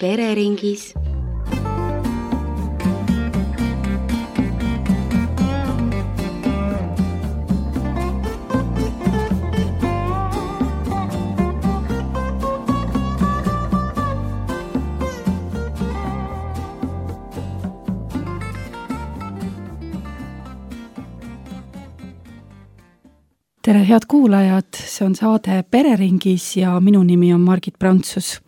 pereringis. Tere head kuulajad, see on saade Pereringis ja minu nimi on Margit Prantsus.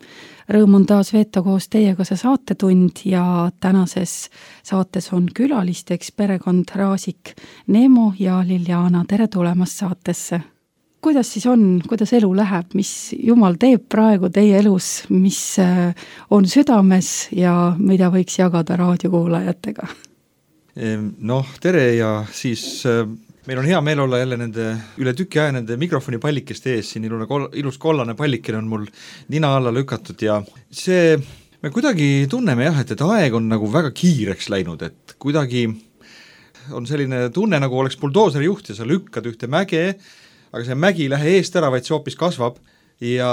Rõõm on taas veeta koos teiega see saatetund ja tänases saates on külalisteks perekond Raasik, Neemo ja Liliana. Tere tulemast saatesse. Kuidas siis on, kuidas elu läheb, mis Jumal teeb praegu teie elus, mis on südames ja mida võiks jagada raadiokuulajatega? Tere ja siis... Meil on hea meel olla jälle nende üle tüki aja nende mikrofonipallikeste ees, siin ilus kollane pallikene on mul nina alla lükatud ja see, me kuidagi tunneme et aeg on nagu väga kiireks läinud, et kuidagi on selline tunne, nagu oleks buldooseri juht ja sa lükkad ühte mäge, aga see mägi ei lähe eest ära, vaid see hoopis kasvab ja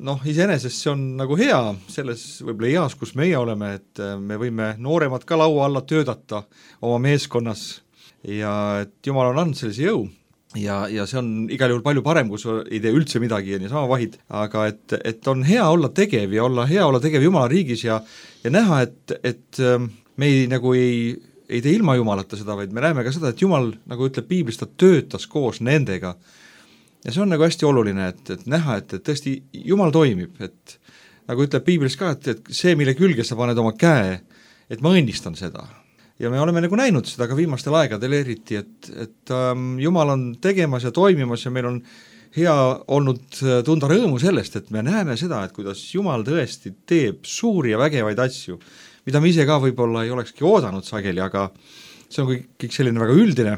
iseenesest see on nagu hea selles võib-olla eas, kus meie oleme, et me võime nooremad ka laua alla töötada oma meeskonnas ja et Jumal on andnud sellise jõu ja see on igal juhul palju parem, kui sa ei tee üldse midagi ja niisama vahid, aga et on hea olla tegev ja hea olla tegev Jumala riigis ja näha, et me ei tee ilma Jumalata seda, vaid me näeme ka seda, et Jumal, nagu ütleb Piiblis, ta töötas koos nendega ja see on nagu hästi oluline, et näha, et tõesti Jumal toimib, et nagu ütleb Piiblis ka, et see, mille külge sa paned oma käe, et ma õnnistan seda. Ja me oleme nagu näinud seda ka viimastel aegadel eriti, et Jumal on tegemas ja toimimas ja meil on hea olnud tunda rõõmu sellest, et me näeme seda, et kuidas Jumal tõesti teeb suuri ja vägevaid asju, mida me ise ka võib-olla ei olekski oodanud sageli, aga see on kõik selline väga üldine.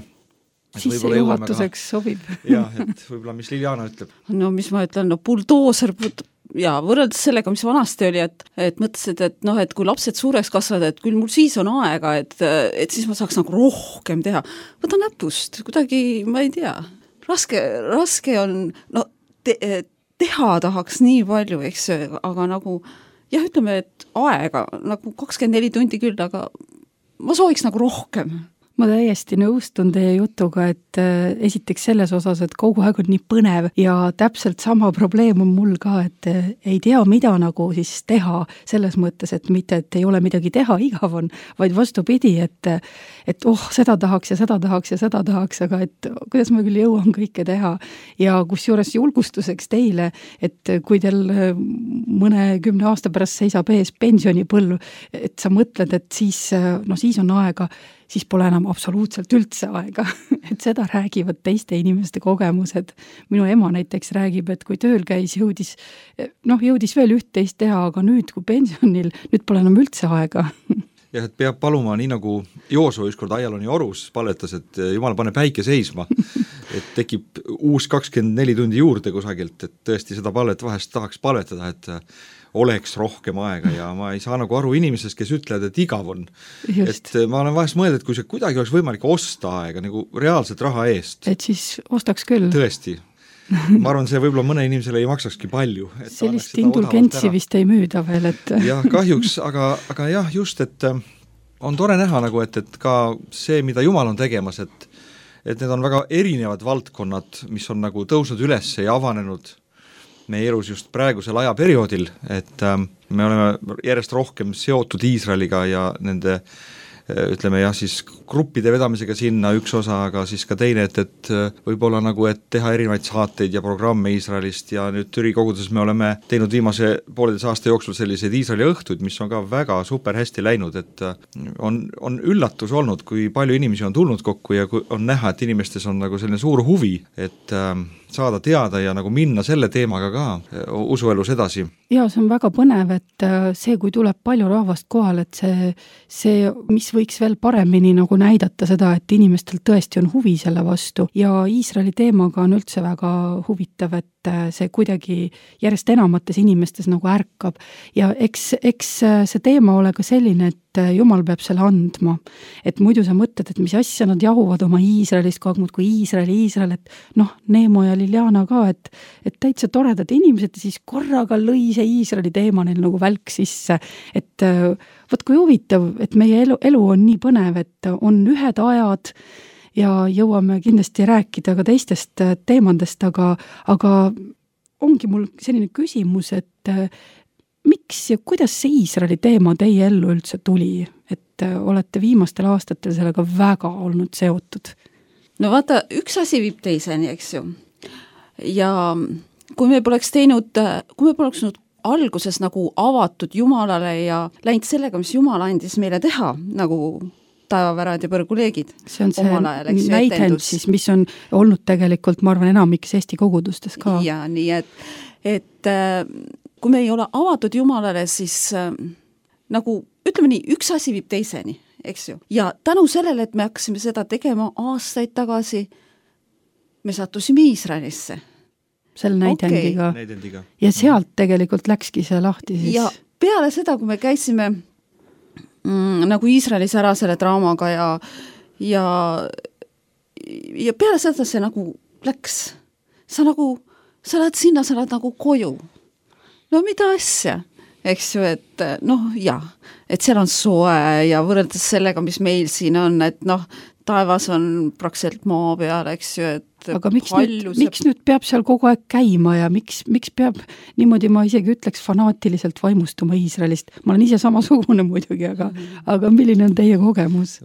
Sissejuhatuseks sobib. Jah, et võib-olla mis Liliana ütleb. No mis ma ütlen, buldooser ja võrreldes sellega, mis vanasti oli, et mõtlesid, et kui lapsed suureks kasvavad, et küll mul siis on aega, et siis ma saaks nagu rohkem teha. Võta näpust, kuidagi, ma ei tea, raske on, teha tahaks nii palju, eks, aga nagu, ütleme, et aega, nagu 24 tundi küll, aga ma sooviks nagu rohkem. Ma täiesti nõustun teie jutuga, et esiteks selles osas, et kogu aeg on nii põnev ja täpselt sama probleem on mul ka, et ei tea, mida nagu siis teha selles mõttes, et mitte, et ei ole midagi teha, igav on, vaid vastupidi, et seda tahaks ja seda tahaks ja seda tahaks, aga et kuidas ma küll jõuan kõike teha ja kusjuures julgustuseks teile, et kui teil mõne 10 aasta pärast seisab ees pensionipõlv, et sa mõtled, et siis on aega, siis pole enam absoluutselt üldse aega, et seda räägivad teiste inimeste kogemused. Minu ema näiteks räägib, et kui tööl käis, jõudis veel üht-teist teha, aga nüüd, kui pensionil, nüüd pole enam üldse aega. Ja et peab paluma, nii nagu Jooso ükskord Aialoni orus palvetas, et Jumal pane päike seisma, et tekib uus 24 tundi juurde kusagilt, et tõesti seda palvet vahest tahaks palvetada, et oleks rohkem aega ja ma ei saa nagu aru inimesest, kes ütlevad, et igav on. Just. Et ma olen vahest mõelnud, et kui see kuidagi oleks võimalik osta aega nagu reaalselt raha eest. Et siis ostaks küll. Tõesti. Ma arvan, see võib-olla mõne inimesele ei maksakski palju. Et sellist indulgentsi vist ei müüda veel, et... jah, kahjuks, aga jah, just, et on tore näha nagu, et ka see, mida Jumal on tegemas, et need on väga erinevad valdkonnad, mis on nagu tõusnud üles ja avanenud meie elus just praegusel ajaperioodil, et me oleme järjest rohkem seotud Iisraeliga ja nende, ütleme siis gruppide vedamisega sinna üks osa, aga siis ka teine, et võib-olla nagu, et teha erinevaid saateid ja programme Iisraelist ja nüüd Türi koguduses me oleme teinud viimase 1,5 aasta jooksul selliseid Iisraeli õhtuid, mis on ka väga super hästi läinud, et on üllatus olnud, kui palju inimesi on tulnud kokku ja on näha, et inimestes on nagu selline suur huvi, et saada teada ja nagu minna selle teemaga ka usuelus edasi. Ja see on väga põnev, et see, kui tuleb palju rahvast kohal, et see, mis võiks veel paremini nagu näidata seda, et inimestel tõesti on huvi selle vastu ja Iisraeli teemaga on üldse väga huvitav, et see kuidagi järjest enamates inimestes nagu ärkab ja eks see teema ole ka selline, et Jumal peab selle andma. Et muidu sa mõtled, et mis asja nad jahuvad oma Iisraelist kogu aeg muud kui Iisrael, et Neemo ja Liliana ka, et täitsa toredad inimesed ja siis korraga lõi see Iisraeli teema neil nagu välk sisse. Et võt kui huvitav, et meie elu on nii põnev, et on ühed ajad ja jõuame kindlasti rääkida ka teistest teemandest, aga ongi mul selline küsimus, et miks ja kuidas see Iisraeli teema teie ellu üldse tuli, et olete viimastel aastatel sellega väga olnud seotud? No vaata, üks asi viib teiseni, eks ju. Ja kui me poleks alguses nagu avatud Jumalale ja läinud sellega, mis Jumal andis meile teha, nagu taevavärad ja põrguleegid. See on see näidend siis, mis on olnud tegelikult, ma arvan, enamikes Eesti kogudustes ka. Ja nii, et kui me ei ole avatud Jumalale, siis nagu, ütleme nii, üks asi viib teiseni, eks ju. Ja tänu sellele, et me hakkasime seda tegema aastaid tagasi, me sattusime Iisraelisse. Selle näidendiga. Okay. Ja sealt tegelikult läkski see lahti siis. Ja peale seda, kui me käisime nagu Iisraelis ära selle draamaga ja peale seda see nagu läks. Sa lähed sinna, sa lähed nagu koju. No mida asja? Eks ju, et et seal on soe ja võrreldes sellega, mis meil siin on, et taevas on praktiliselt maa peal, eks ju, et aga miks nüüd peab seal kogu aeg käima ja miks peab niimoodi, ma isegi ütleks, fanaatiliselt vaimustuma Iisraelist? Ma olen ise samasugune muidugi, aga milline on teie kogemus?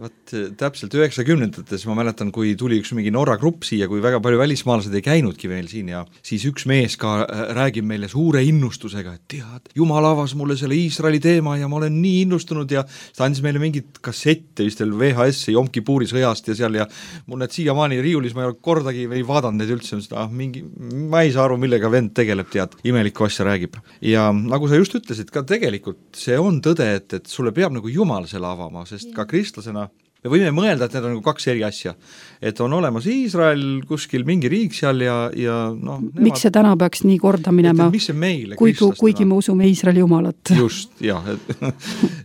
Täpselt 90-ndates ma mäletan, kui tuli üks mingi Norra grupp siia, kui väga palju välismaalased ei käinudki veel siin ja siis üks mees ka räägib meile suure innustusega, et tead, Jumal avas mulle selle Iisraeli teema ja ma olen nii innustunud ja ta andis meile mingit kassette vist veel VHS-i Jom Kipuri sõjast ja seal ja mul need siiamaani riiulis, ma ei ole kordagi ei vaadanud neid üldse, ma ei saa aru, millega vend tegeleb, tead, imelikku asja räägib. Ja nagu sa just ütlesid, ka tegelikult see on tõde, et sulle peab nagu Jumal selle avama, sest ka kristlasena me võime mõelda, et need on nagu kaks eri asja. Et on olemas Iisrael, kuskil mingi riik seal ja miks see täna peaks nii korda minema, mis see meile kuigi me usume Iisraeli Jumalat? Just, jah,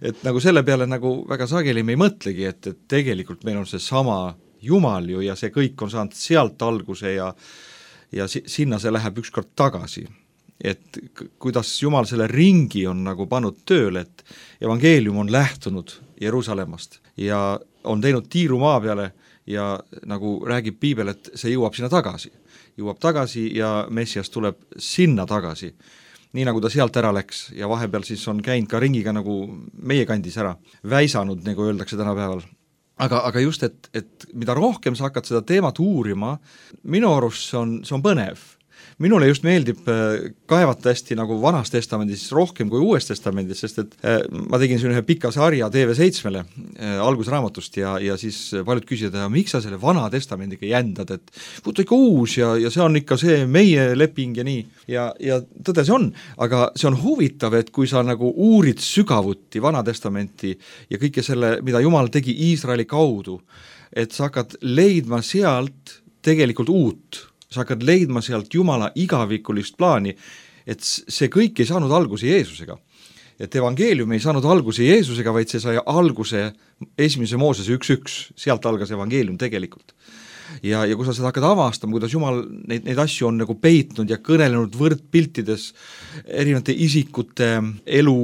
et nagu selle peale nagu väga sageli me ei mõtlegi, et tegelikult meil on see sama Jumal ju ja see kõik on saanud sealt alguse ja sinna see läheb ükskord tagasi. Et kuidas Jumal selle ringi on nagu pannud tööle, et evangeelium on lähtunud Jeruusalemmast ja on teinud tiiru maa peale ja nagu räägib Piibel, et see jõuab sinna tagasi. Jõuab tagasi ja Messias tuleb sinna tagasi. Nii nagu ta sealt ära läks ja vahepeal siis on käinud ka ringiga nagu meie kandis ära, väisanud, nagu öeldakse tänapäeval. Aga just, et mida rohkem sa hakkad seda teemat uurima, minu arust see on põnev. Minule just meeldib kaevata hästi nagu Vanas Testamendis rohkem kui Uues Testamendis, sest et ma tegin siin ühe pika sarja TV7-le algusraamatust ja siis paljud küsivad, miks sa selle Vana Testamendiga jändad, et võtta ikka uus ja see on ikka see meie leping ja nii. Ja tõde see on, aga see on huvitav, et kui sa nagu uurid sügavuti Vana Testamenti ja kõike selle, mida Jumal tegi Iisraeli kaudu, et sa hakkad leidma sealt tegelikult uut. Sa hakkad leidma sealt Jumala igavikulist plaani, et see kõik ei saanud alguse Jeesusega. Et evangeelium ei saanud alguse Jeesusega, vaid see sai alguse 1. Moosese 1.1, sealt algas evangeelium tegelikult. Ja kui sa seda hakkad avastama, kuidas Jumal neid asju on nagu peitnud ja kõnelenud võrdpiltides erinevate isikute elu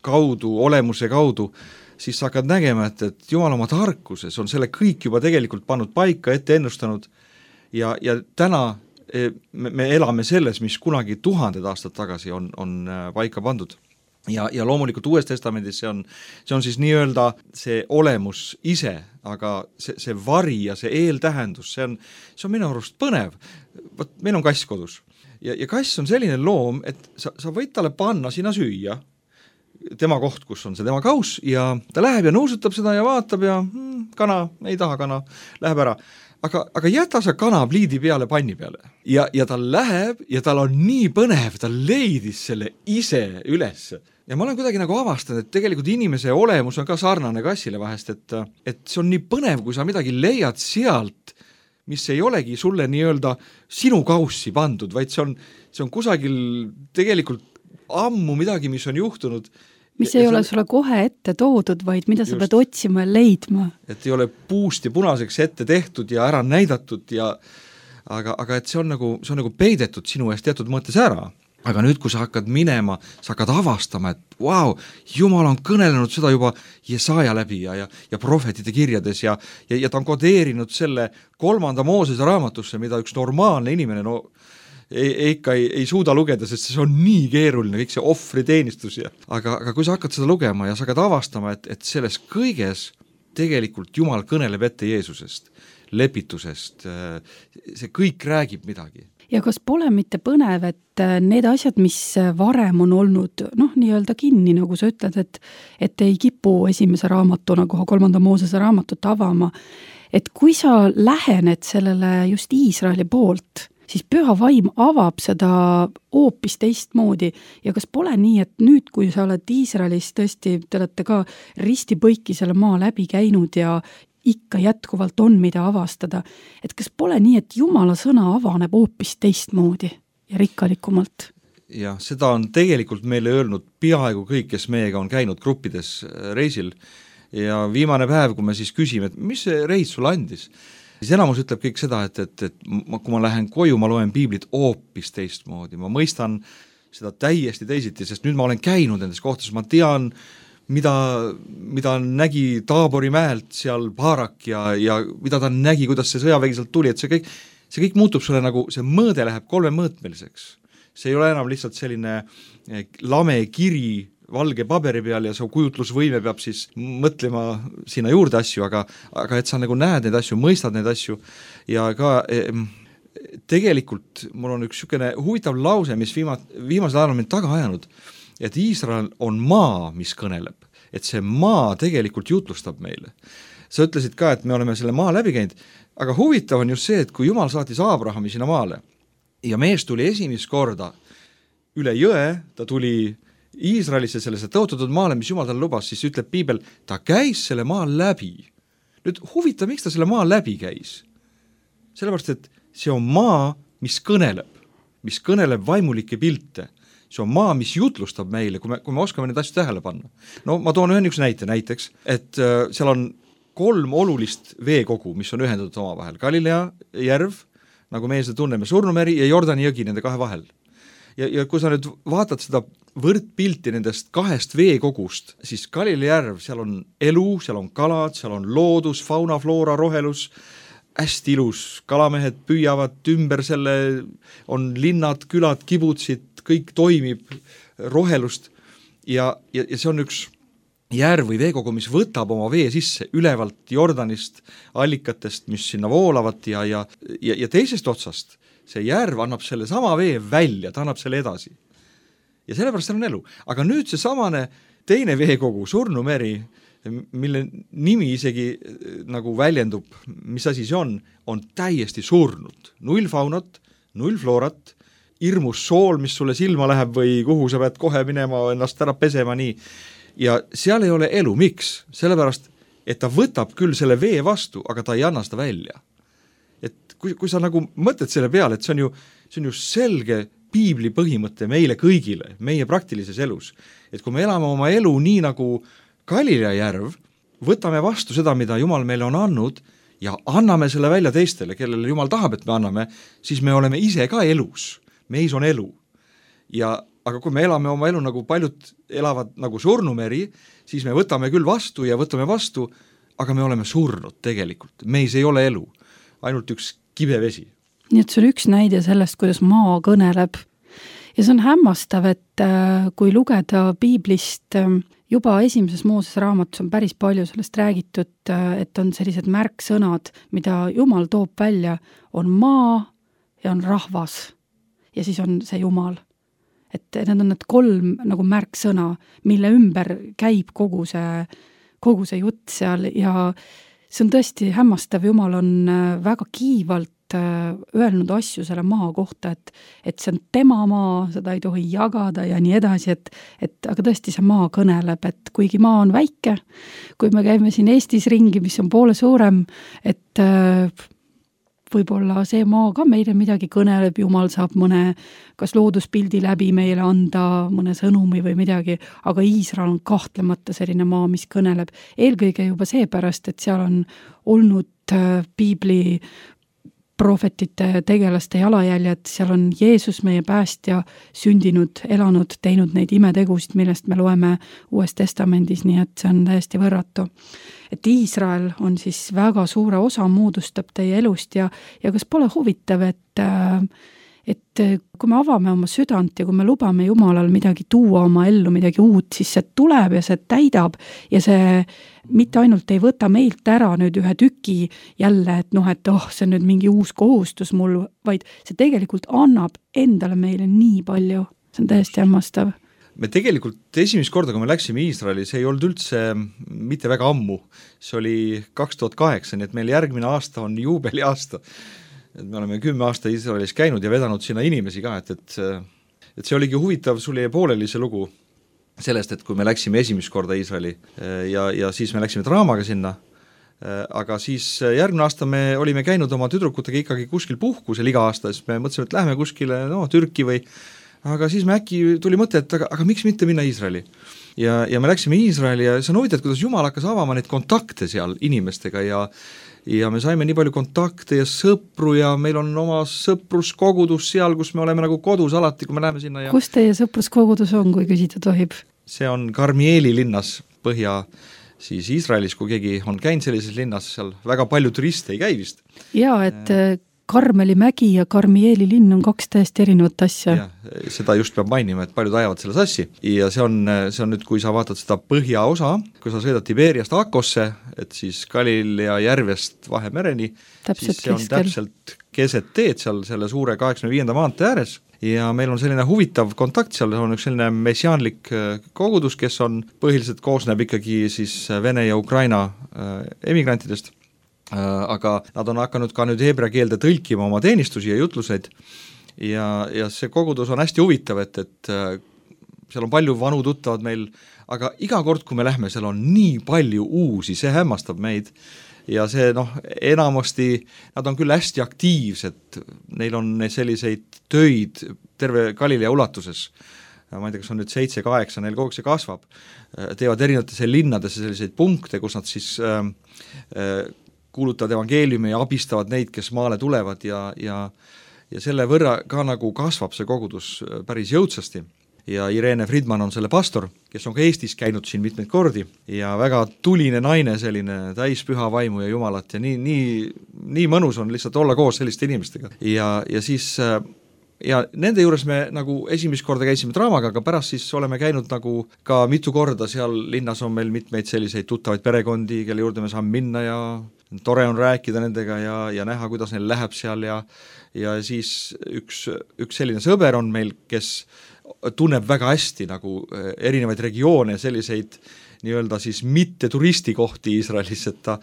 kaudu, olemuse kaudu, siis sa hakkad nägema, et Jumal oma tarkuses on selle kõik juba tegelikult pannud paika, ette ennustanud. Ja täna me elame selles, mis kunagi 1000 aastat tagasi on paika pandud. Ja loomulikult Uues Testamendis see on siis nii-öelda see olemus ise, aga see vari ja see eeltähendus, see on minu arust põnev. Meil on kass kodus. Ja kass on selline loom, et sa võid talle panna sinna süüa, tema koht, kus on see tema kaus, ja ta läheb ja nuusutab seda ja vaatab ja kana, ei taha kana, läheb ära. Aga jäta sa kana pliidi peale panni peale. Ja ta läheb ja tal on nii põnev, ta leidis selle ise üles. Ja ma olen kuidagi nagu avastanud, et tegelikult inimese olemus on ka sarnane kassile vahest, et see on nii põnev, kui sa midagi leiad sealt, mis ei olegi sulle nii-öelda sinu kaussi pandud, vaid see on kusagil tegelikult ammu midagi, mis on juhtunud. Mis ei ole sulle kohe ette toodud, vaid mida sa pead otsima ja leidma. Et ei ole puust ja punaseks ette tehtud ja ära näidatud aga et see on nagu peidetud sinu eest teatud mõttes ära. Aga nüüd, kui sa hakkad minema, sa hakkad avastama, et vau, Jumal on kõnelenud seda juba Jesaja läbi ja prohvetide kirjades ja ta on kodeerinud selle 3. Moosese raamatusse, mida üks normaalne inimene ei suuda lugeda, sest see on nii keeruline, kõik see ohvriteenistus aga kui sa hakkad seda lugema ja sa hakkad avastama, et selles kõiges tegelikult Jumal kõneleb ette Jeesusest, lepitusest, see kõik räägib midagi. Ja kas pole mitte põnev, et need asjad, mis varem on olnud nii-öelda kinni, nagu sa ütled, et ei kipu esimese raamatu nagu 3. Moosese raamatut avama, et kui sa lähened sellele just Iisraeli poolt, siis püha vaim avab seda hoopis teistmoodi ja kas pole nii, et nüüd, kui sa oled Iisraelis tõesti, te olete ka ristipõiki selle maa läbi käinud ja ikka jätkuvalt on, mida avastada, et kas pole nii, et Jumala sõna avaneb hoopis teistmoodi ja rikkalikumalt? Ja seda on tegelikult meile öelnud peaaegu kõik, kes meiega on käinud gruppides reisil ja viimane päev, kui me siis küsime, et mis see reis sulle andis, siis enamus ütleb kõik seda, et kui ma lähen koju, ma loen piiblit hoopis teistmoodi, ma mõistan seda täiesti teisiti, sest nüüd ma olen käinud nendes kohtades, ma tean, mida nägi Taabori mäelt seal Baarak ja mida ta nägi, kuidas see sõjavägi sealt tuli, et see kõik muutub sulle nagu, see mõõde läheb 3-mõõtmeliseks. See ei ole enam lihtsalt selline lame kiri valge paberi peal ja su kujutlusvõime peab siis mõtlema sinna juurde asju, aga et sa nagu näed neid asju, mõistad neid asju ja ka tegelikult mul on üks niisugune huvitav lause, mis viimasel ajal on mind taga ajanud, et Iisrael on maa, mis kõneleb, et see maa tegelikult jutlustab meile. Sa ütlesid ka, et me oleme selle maa läbi käinud, aga huvitav on just see, et kui Jumal saatis Aabrahami sinna maale ja mees tuli esimest korda üle jõe, ta tuli Iisraelisse sellesse tõotatud maale, mis Jumal talle lubas, siis ütleb piibel, ta käis selle maa läbi. Nüüd huvitav, miks ta selle maa läbi käis? Sellepärast, et see on maa, mis kõneleb vaimulikke pilte. See on maa, mis jutlustab meile, kui me oskame neid asju tähele panna. No ma toon ühe näiteks, et seal on 3 olulist veekogu, mis on ühendatud oma vahel. Galilea järv, nagu meie seda tunneme, Surnumeri ja Jordani jõgi nende 2 vahel. Ja kui sa nüüd vaatad seda võrdpilti nendest 2 veekogust, siis Galilea järv, seal on elu, seal on kalad, seal on loodus, fauna, floora, rohelus, hästi ilus, kalamehed püüavad ümber selle, on linnad, külad, kibutsid, kõik toimib, rohelust ja see on üks järv või veekogu, mis võtab oma vee sisse ülevalt Jordanist, allikatest, mis sinna voolavad ja teisest otsast see järv annab selle sama vee välja, ta annab selle edasi. Ja sellepärast seal on elu. Aga nüüd see samane teine veekogu, Surnumeri, mille nimi isegi nagu väljendub, mis asi see on täiesti surnud. 0 faunat, 0 floorat, hirmus sool, mis sulle silma läheb või kuhu sa pead kohe minema ennast ära pesema nii. Ja seal ei ole elu. Miks? Sellepärast, et ta võtab küll selle vee vastu, aga ta ei anna seda välja. Et kui sa nagu mõtled selle peale, et see on ju selge piibli põhimõte meile kõigile, meie praktilises elus. Et kui me elame oma elu nii nagu Galilea järv, võtame vastu seda, mida Jumal meile on andnud ja anname selle välja teistele, kellele Jumal tahab, et me anname, siis me oleme ise ka elus. Meis on elu. Aga kui me elame oma elu nagu paljud elavad nagu Surnumeri, siis me võtame küll vastu ja võtame vastu, aga me oleme surnud tegelikult. Meis ei ole elu, ainult üks kibevesi. Nii et see on üks näide sellest, kuidas maa kõneleb. Ja see on hämmastav, et kui lugeda piiblist, juba esimeses Mooses raamatus on päris palju sellest räägitud, et on sellised märksõnad, mida Jumal toob välja, on maa ja on rahvas. Ja siis on see Jumal. Et need on need 3 nagu märksõna, mille ümber käib kogu see jutt seal ja see on tõesti hämmastav. Jumal on väga kiivalt öelnud asju selle maa kohta, et see on tema maa, seda ei tohi jagada ja nii edasi, aga tõesti see maa kõneleb, et kuigi maa on väike, kui me käime siin Eestis ringi, mis on poole suurem, et võib-olla see maa ka meile midagi kõneleb, Jumal saab mõne kas looduspildi läbi meile anda mõne sõnumi või midagi, aga Iisrael on kahtlemata selline maa, mis kõneleb. Eelkõige juba seepärast, et seal on olnud piibli prohvetite, tegelaste jalajäljed, seal on Jeesus, meie päästja, sündinud, elanud, teinud neid imetegusid, millest me loeme Uues Testamendis, nii et see on täiesti võrratu. Et Iisrael on siis väga suure osa moodustab teie elust ja kas pole huvitav, et kui me avame oma südant ja kui me lubame Jumalal midagi tuua oma ellu, midagi uut, siis see tuleb ja see täidab ja see mitte ainult ei võta meilt ära nüüd ühe tüki jälle, et see on nüüd mingi uus kohustus mul, vaid see tegelikult annab endale meile nii palju. See on täiesti hämmastav. Me tegelikult esimest korda, kui me läksime Iisraeli, see ei olnud üldse mitte väga ammu. See oli 2008, nii et meil järgmine aasta on juubeliaasta. Et me oleme 10 aasta Iisraelis käinud ja vedanud sinna inimesi ka, et see oligi huvitav, sul jäi pooleli see lugu sellest, et kui me läksime esimest korda Iisraeli ja siis me läksime draamaga sinna, aga siis järgmine aasta me olime käinud oma tüdrukutega ikkagi kuskil puhkusel iga aasta, siis me mõtlesime, et lähme kuskile Türki või, aga siis me äkki tuli mõte, et aga miks mitte minna Iisraeli. Ja me läksime Iisraeli ja see on huvitav, kuidas Jumal hakkas avama neid kontakte seal inimestega ja me saime nii palju kontakte ja sõpru ja meil on oma sõpruskogudus seal, kus me oleme nagu kodus alati, kui me läheme sinna. Kus teie sõpruskogudus on, kui küsida tohib? See on Karmieli linnas põhja siis Iisraelis, kui keegi on käinud sellises linnas, seal väga palju turiste ei käi vist. Jaa, et Karmeli mägi ja Karmieli linn on 2 täiesti erinevat asja. Ja, seda just peab mainima, et paljud ajavad selle sassi ja see on nüüd, kui sa vaatad seda põhjaosa, kui sa sõidad Tiberiast Akosse, et siis Galilea järvest Vahemereni, siis see on täpselt keset teed seal selle suure 85. maantee ääres ja meil on selline huvitav kontakt seal, on üks selline messiaanlik kogudus, kes on põhiliselt koosneb ikkagi siis Vene ja Ukraina emigrantidest, aga nad on hakanud ka nüüd heebrea keelde tõlkima oma teenistusi ja jutluseid ja see kogudus on hästi huvitav, et seal on palju vanu tuttavad meil, aga iga kord, kui me lähme, seal on nii palju uusi, see hämmastab meid ja see enamasti, nad on küll hästi aktiivsed, neil on selliseid töid terve Galilea ulatuses, ma ei tea, kas on nüüd 7-8, neil kogu see kasvab, teevad erinevatesse linnadesse selliseid punkte, kus nad siis kuulutavad evangeeliumi ja abistavad neid, kes maale tulevad ja selle võrra ka nagu kasvab see kogudus päris jõudsasti. Ja Irene Friedman on selle pastor, kes on ka Eestis käinud siin mitmeid kordi ja väga tuline naine, selline täis püha vaimu ja Jumalat ja nii mõnus on lihtsalt olla koos selliste inimestega. Ja siis ja nende juures me nagu esimest korda käisime draamaga, aga pärast siis oleme käinud nagu ka mitu korda, seal linnas on meil mitmeid selliseid tuttavaid perekondi, kelle juurde me saame minna ja tore on rääkida nendega ja näha, kuidas neil läheb seal ja siis üks selline sõber on meil, kes tunneb väga hästi nagu erinevaid regioone, selliseid nii-öelda siis mitte turistikohti Iisraelis, et ta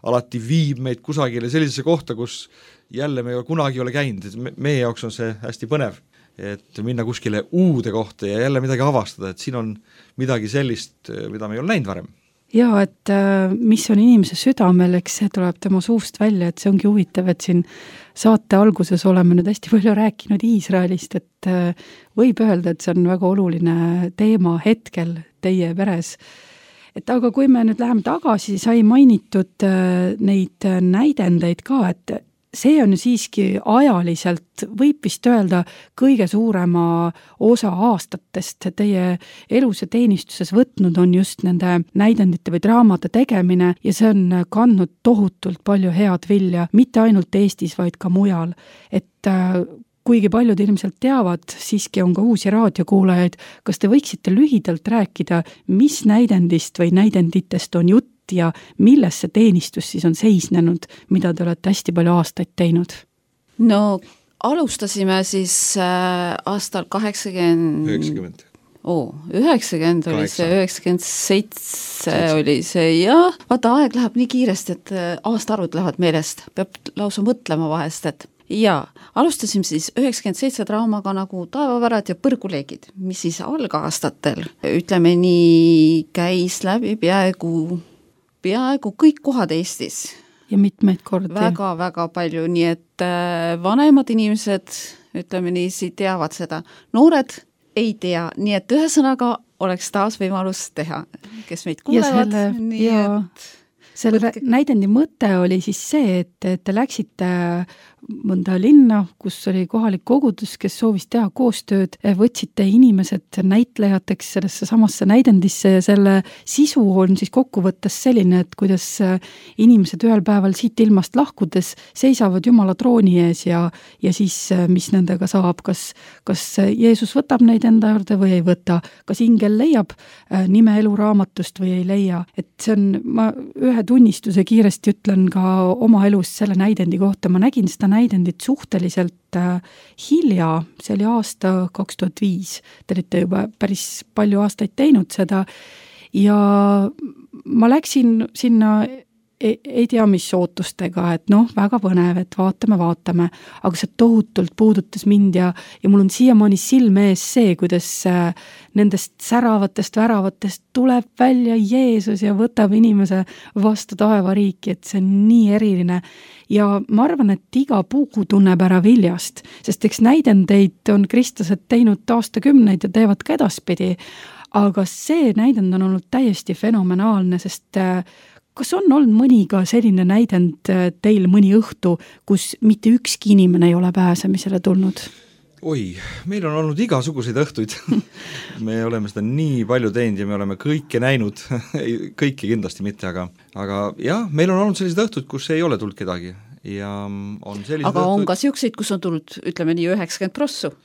alati viib meid kusagile sellisesse kohta, kus jälle me kunagi ei ole käinud, et meie jaoks on see hästi põnev, et minna kuskile uude kohta ja jälle midagi avastada, et siin on midagi sellist, mida me ei ole näinud varem. Jaa, et mis on inimese südamel, eks see tuleb tema suust välja, et see ongi huvitav, et siin saate alguses oleme nüüd hästi palju rääkinud Iisraelist, et võib öelda, et see on väga oluline teema hetkel teie peres. Et aga kui me nüüd läheme tagasi, sai mainitud neid näidendeid ka, et see on ju siiski ajaliselt, võib vist öelda, kõige suurema osa aastatest teie elus ja teenistuses võtnud on just nende näidendite või draamade tegemine ja see on kandnud tohutult palju head vilja, mitte ainult Eestis, vaid ka mujal. Et kuigi paljud ilmselt teavad, siiski on ka uusi raadiokuulajaid, kas te võiksite lühidalt rääkida, mis näidendist või näidenditest on jutt ja milles see teenistus siis on seisnenud, mida te olete hästi palju aastaid teinud? No alustasime siis aastal 90 oli see, 97 oli see ja vaata, aeg läheb nii kiiresti, et aastaarvud lähevad meelest, peab lausa mõtlema vahest, et ja alustasime siis 97 draamaga nagu Taevavärad ja Põrguleegid, mis siis algaastatel, ütleme nii, käis läbi peaaegu kõik kohad Eestis. ja mitmeid kordi. väga palju, nii et vanemad inimesed, ütleme niiviisi, teavad seda. Noored ei tea, nii et ühesõnaga oleks taas võimalus teha, kes meid kuulevad. Selle näidendi mõte oli siis see, et te läksite mõnda linna, kus oli kohalik kogudus, kes soovis teha koostööd, võtsite inimesed näitlejateks sellesse samasse näidendisse ja selle sisu on siis kokkuvõttes selline, et kuidas inimesed ühel päeval siit ilmast lahkudes seisavad Jumala trooni ees ja siis mis nendega saab, kas Jeesus võtab neid enda juurde või ei võta, kas ingel leiab nime eluraamatust või ei leia, et see on, ma ühe tunnistuse kiiresti ütlen ka oma elust selle näidendi kohta, ma nägin seda näidendit suhteliselt hilja, see oli aasta 2005, te olite juba päris palju aastaid teinud seda ja ma läksin sinna ei tea mis ootustega, et väga põnev, et vaatame, aga see tohutult puudutas mind ja mul on siiamaani silme ees see, kuidas nendest säravatest väravatest tuleb välja Jeesus ja võtab inimese vastu taevariiki, et see on nii eriline. Ja ma arvan, et iga puu tunneb ära viljast, sest eks näidendeid on kristlased teinud aastakümneid ja teevad ka edaspidi, aga see näidend on olnud täiesti fenomenaalne, sest kas on olnud mõni ka selline näidend teil mõni õhtu, kus mitte ükski inimene ei ole pääsemisele tulnud? Oi, meil on olnud igasuguseid õhtuid. Me oleme seda nii palju teinud ja me oleme kõike näinud, kõiki kindlasti mitte, aga jah, meil on olnud sellised õhtud, kus ei ole tulnud kedagi. Ja on aga on ka siukseid, kus on tulnud, ütleme nii, 90%.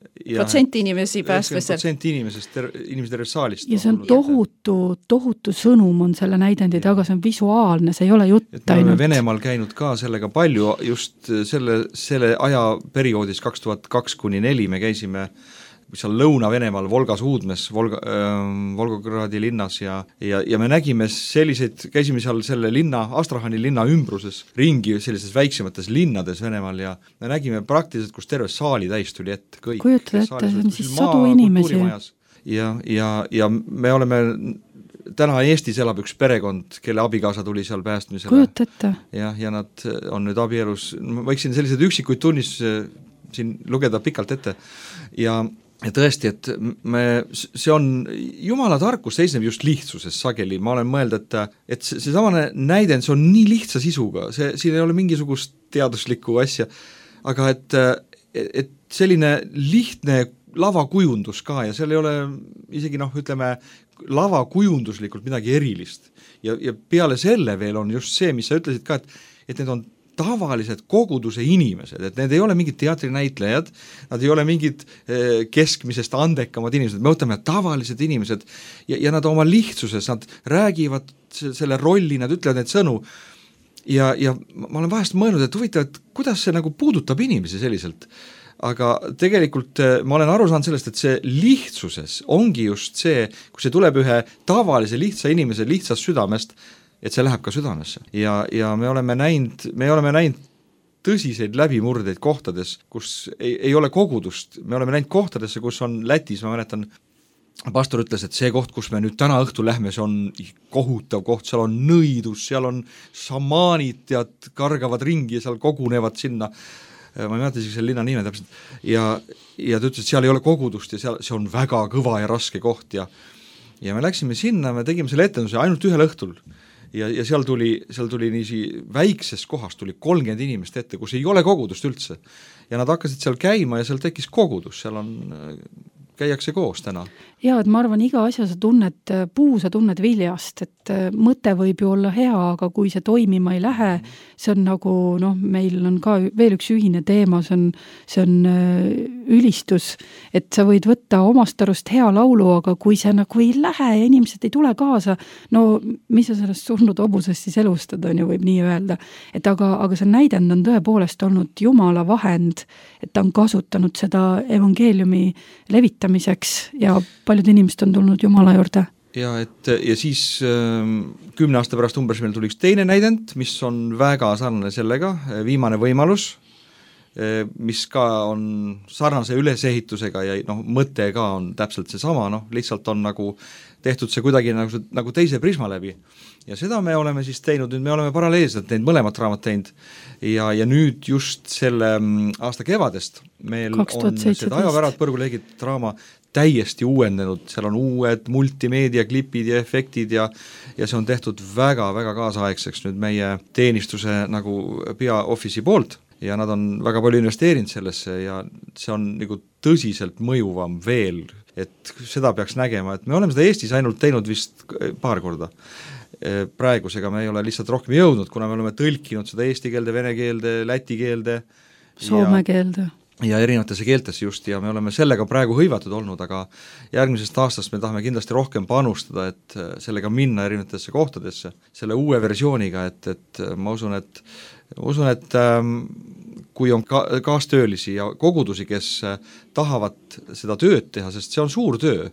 Protsenti inimesi päästmisel. 90% inimesed terves saalist. Ja see on tohutu sõnum on selle näidendi taga, see on visuaalne, see ei ole jutt ainult. Me oleme Venemaal käinud ka sellega palju, just selle ajaperioodis 2002–2004 me käisime seal Lõuna-Venemaal Volgas Uudmes, Volgogradi linnas ja me nägime selliseid, käisime seal selle linna, Astrahani linna ümbruses ringi sellises väiksemates linnades Venemaal ja me nägime praktiliselt, kus terve saali täis tuli ette. Kujutada ette, see on siis sadu inimesi. Ja me oleme, täna Eestis elab üks perekond, kelle abikaasa tuli seal päästmisele. Kujuta ette. Ja nad on nüüd abielus, ma võiksin sellised üksikuid tunnistusi siin lugeda pikalt ette ja tõesti, et see on, Jumala tarkus seisneb just lihtsuses sageli, ma olen mõeld, et see samane näidend, see on nii lihtsa sisuga, siin ei ole mingisugust teaduslikku asja, aga et selline lihtne lavakujundus ka ja seal ei ole isegi ütleme, lavakujunduslikult midagi erilist ja peale selle veel on just see, mis sa ütlesid ka, et need on tavalised koguduse inimesed, et need ei ole mingid teatrinäitlejad, nad ei ole mingid keskmisest andekamad inimesed, me võtame tavalised inimesed ja nad oma lihtsuses, nad räägivad selle rolli, nad ütlevad neid sõnu ja ma olen vahest mõelnud, et huvitav, et kuidas see nagu puudutab inimesi selliselt, aga tegelikult ma olen aru saanud sellest, et see lihtsuses ongi just see, kui see tuleb ühe tavalise lihtsa inimese lihtsast südamest, et see läheb ka südamesse ja me oleme näinud tõsiseid läbimurdeid kohtades, kus ei ole kogudust, me oleme näinud kohtadesse, kus on Lätis, ma mäletan, pastor ütles, et see koht, kus me nüüd täna õhtul lähme, see on kohutav koht, seal on nõidus, seal on šamaanid, tead, kargavad ringi ja seal kogunevad sinna, ma ei mäleta isegi selle linna nime täpselt, ja ta ütles, et seal ei ole kogudust ja see on väga kõva ja raske koht ja me läksime sinna, me tegime selle etenduse ainult ühel õhtul ja seal tuli niisi väikses kohas tuli 30 inimest ette, kus ei ole kogudust üldse ja nad hakkasid seal käima ja seal tekkis kogudus, seal käiakse koos täna. Jaa, et ma arvan, iga asja sa tunned, puu sa tunned viljast, et mõte võib ju olla hea, aga kui see toimima ei lähe, see on nagu, meil on ka veel üks ühine teema, see on ülistus, et sa võid võtta omast arust hea laulu, aga kui see nagu ei lähe ja inimesed ei tule kaasa, mis sa sellest surnud hobusest siis elustad, on ju, võib nii öelda. Et aga see näidend on tõepoolest olnud Jumala vahend, et ta on kasutanud seda evangeeliumi levitamiseks ja paljud inimesed on tulnud Jumala juurde. Ja siis 10 aasta pärast umbes meil tuli üks teine näidend, mis on väga sarnane sellega, Viimane võimalus, mis ka on sarnase ülesehitusega ja mõte ka on täpselt see sama, lihtsalt on nagu tehtud see kuidagi nagu teise prisma läbi. ja seda me oleme siis teinud, nüüd me oleme paralleelselt neid mõlemat raamat teinud ja nüüd just selle aasta kevadest meil 2017. on seda Ajavärad põrguleegid draama täiesti uuendanud, seal on uued multimeediaklipid ja efektid ja see on tehtud väga-väga kaasaegseks nüüd meie teenistuse nagu peaoffice'i poolt ja nad on väga palju investeerinud sellesse ja see on nagu tõsiselt mõjuvam veel, et seda peaks nägema, et me oleme seda Eestis ainult teinud vist paar korda. Praegusega me ei ole lihtsalt rohkem jõudnud, kuna me oleme tõlkinud seda eesti keelde, vene keelde, läti keelde, soome keelde ja erinevatesse keeltesse just ja me oleme sellega praegu hõivatud olnud, aga järgmisest aastast me tahame kindlasti rohkem panustada, et sellega minna erinevatesse kohtadesse, selle uue versiooniga, et ma usun, et kui on kaastöölisi ja kogudusi, kes tahavad seda tööd teha, sest see on suur töö,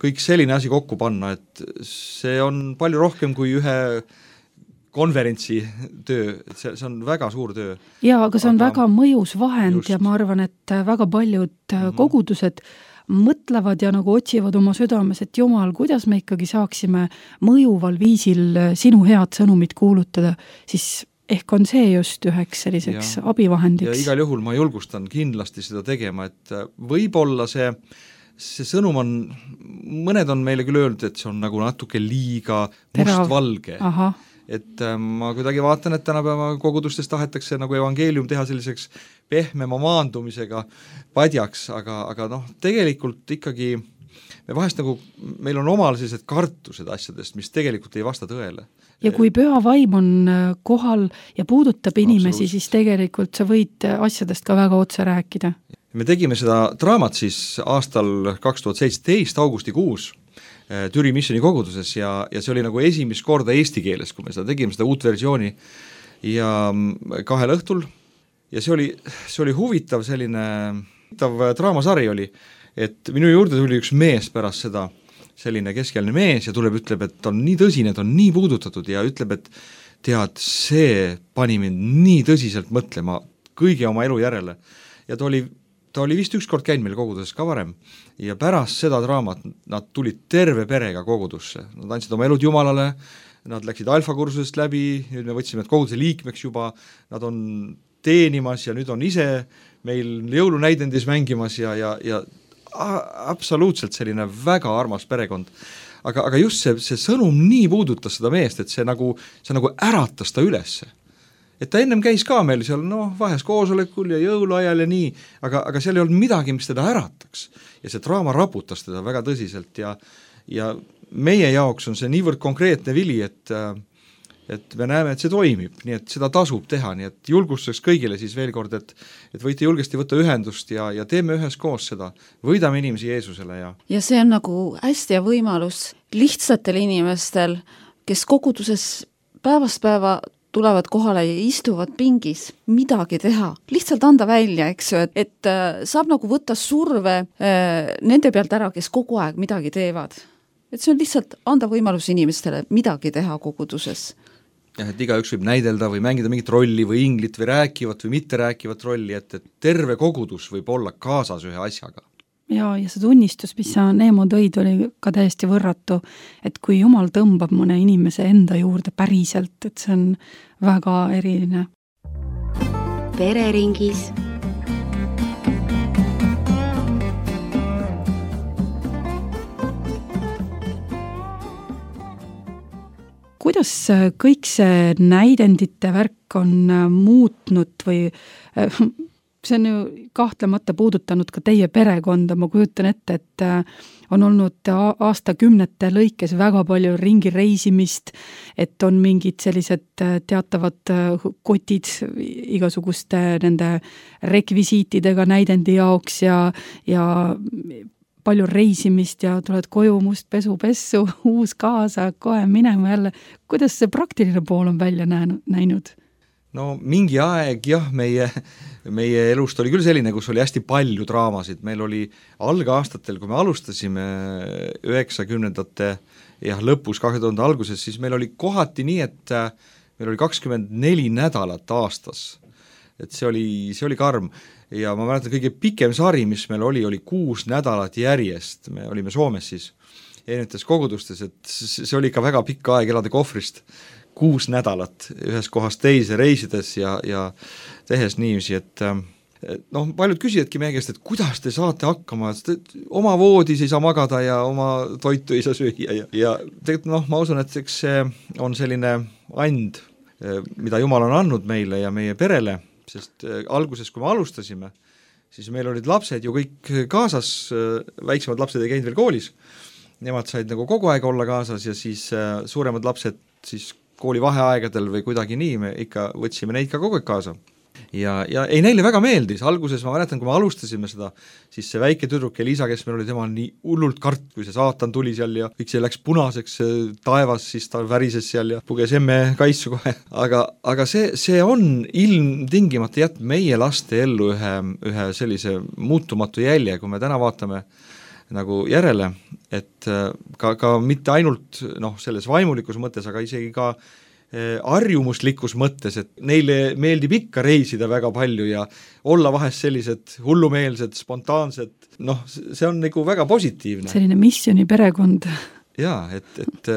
kõik selline asi kokku panna, et see on palju rohkem kui ühe konverentsi töö, et see on väga suur töö. Jaa, aga see on väga mõjus vahend just. Ja ma arvan, et väga paljud kogudused mõtlevad ja nagu otsivad oma südames, et Jumal, kuidas me ikkagi saaksime mõjuval viisil sinu head sõnumit kuulutada, siis ehk on see just üheks selliseks abivahendiks. Ja igal juhul ma julgustan kindlasti seda tegema, et võib-olla see sõnum on, mõned on meile küll öelnud, et see on nagu natuke liiga mustvalge. Et ma kuidagi vaatan, et tänapäeva kogudustes tahetakse nagu evangeelium teha selliseks pehmema maandumisega padjaks, aga tegelikult ikkagi me vahest nagu, meil on omal sellised kartused asjadest, mis tegelikult ei vasta tõele. Ja kui püha vaim on kohal ja puudutab inimesi, siis tegelikult sa võid asjadest ka väga otse rääkida. Me tegime seda draamat siis aastal 2017 augustikuus Türi Missioni koguduses ja see oli nagu esimest korda eesti keeles, kui me seda tegime, seda uut versiooni ja 2 õhtul ja see oli huvitav selline draamasari oli, et minu juurde tuli üks mees pärast seda, selline keskealine mees ja tuleb, ütleb, et on nii tõsine, et on nii puudutatud ja ütleb, et tead, see pani mind nii tõsiselt mõtlema kõigi oma elu järele ja ta oli vist ükskord käinud meil koguduses ka varem ja pärast seda draamat nad tulid terve perega kogudusse, nad andsid oma elud Jumalale, nad läksid alfakursusest läbi, nüüd me võtsime need koguduse liikmeks juba, nad on teenimas ja nüüd on ise meil jõulunäidendis mängimas ja absoluutselt selline väga armas perekond. Aga just see sõnum nii puudutas seda meest, et see nagu äratas ta ülesse. Et ta ennem käis ka meil seal vahes koosolekul ja jõuluajal ja nii, aga seal ei olnud midagi, mis teda ärataks. Ja see draama raputas teda väga tõsiselt ja meie jaoks on see niivõrd konkreetne vili, et me näeme, et see toimib, nii et seda tasub teha, nii et julgustuseks kõigile siis veel kord, et võite julgesti võtta ühendust ja teeme üheskoos seda, võidame inimesi Jeesusele. Ja see on nagu hästi ja võimalus lihtsatel inimestel, kes koguduses päevast päeva tulevad kohale ja istuvad pingis, midagi teha, lihtsalt anda välja, eks ju, et saab nagu võtta surve nende pealt ära, kes kogu aeg midagi teevad. Et see on lihtsalt anda võimalus inimestele midagi teha koguduses. Et igaüks võib näidelda või mängida mingit rolli või inglit või rääkivat või mitte rääkivat rolli, et terve kogudus võib olla kaasas ühe asjaga. Ja see tunnistus, mis sa Neemo tõid, oli ka täiesti võrratu, et kui Jumal tõmbab mõne inimese enda juurde päriselt, et see on väga eriline. Pereringis. Kuidas kõik see näidendite värk on muutnud või see on ju kahtlemata puudutanud ka teie perekonda, ma kujutan ette, et on olnud aastakümnete lõikes väga palju ringi reisimist, et on mingid sellised teatavad kotid igasuguste nende rekvisiitidega näidendi jaoks ja palju reisimist ja tuled koju must pessu, uus kaasa, kohe minema jälle. Kuidas see praktiline pool on välja näinud? No mingi aeg jah, meie elust oli küll selline, kus oli hästi palju draamasid, meil oli algaastatel, kui me alustasime 90ndate lõpus 2000 alguses, siis meil oli kohati nii, et meil oli 24 nädalat aastas, et see oli karm ja ma mäletan kõige pikem sari, mis meil oli 6 nädalat järjest, me olime Soomes siis erinevates kogudustes, et see oli ikka väga pikk aeg elada kohvrist 6 nädalat ühes kohast teise reisides ja tehes niiviisi, et noh, paljud küsijadki meie käest, et kuidas te saate hakkama, et oma voodis ei saa magada ja oma toitu ei saa süüa ja tegelikult noh, ma usun, et eks see on selline and, mida Jumal on andnud meile ja meie perele, sest alguses, kui me alustasime, siis meil olid lapsed ju kõik kaasas, väiksemad lapsed ei käinud veel koolis, nemad said nagu kogu aeg olla kaasas ja siis suuremad lapsed siis kooli vaheaegadel või kuidagi nii, me ikka võtsime neid ka kogu aeg kaasa. Ja ei, neile väga meeldis, alguses ma mäletan, kui me alustasime seda, siis see väike tüdruk Elisa, kes meil oli, tema nii hullult kart, kui see saatan tuli seal ja kõik see läks punaseks taevas, siis ta värises seal ja puges emme kaisu kohe, aga see on ilmtingimata jätnud meie laste ellu ühe sellise muutumatu jälje, kui me täna vaatame nagu järele, et ka mitte ainult selles vaimulikus mõttes, aga isegi ka harjumuslikus mõttes, et neile meeldib ikka reisida väga palju ja olla vahest sellised hullumeelsed, spontaansed, see on nagu väga positiivne. Selline missioni perekond. Jaa, et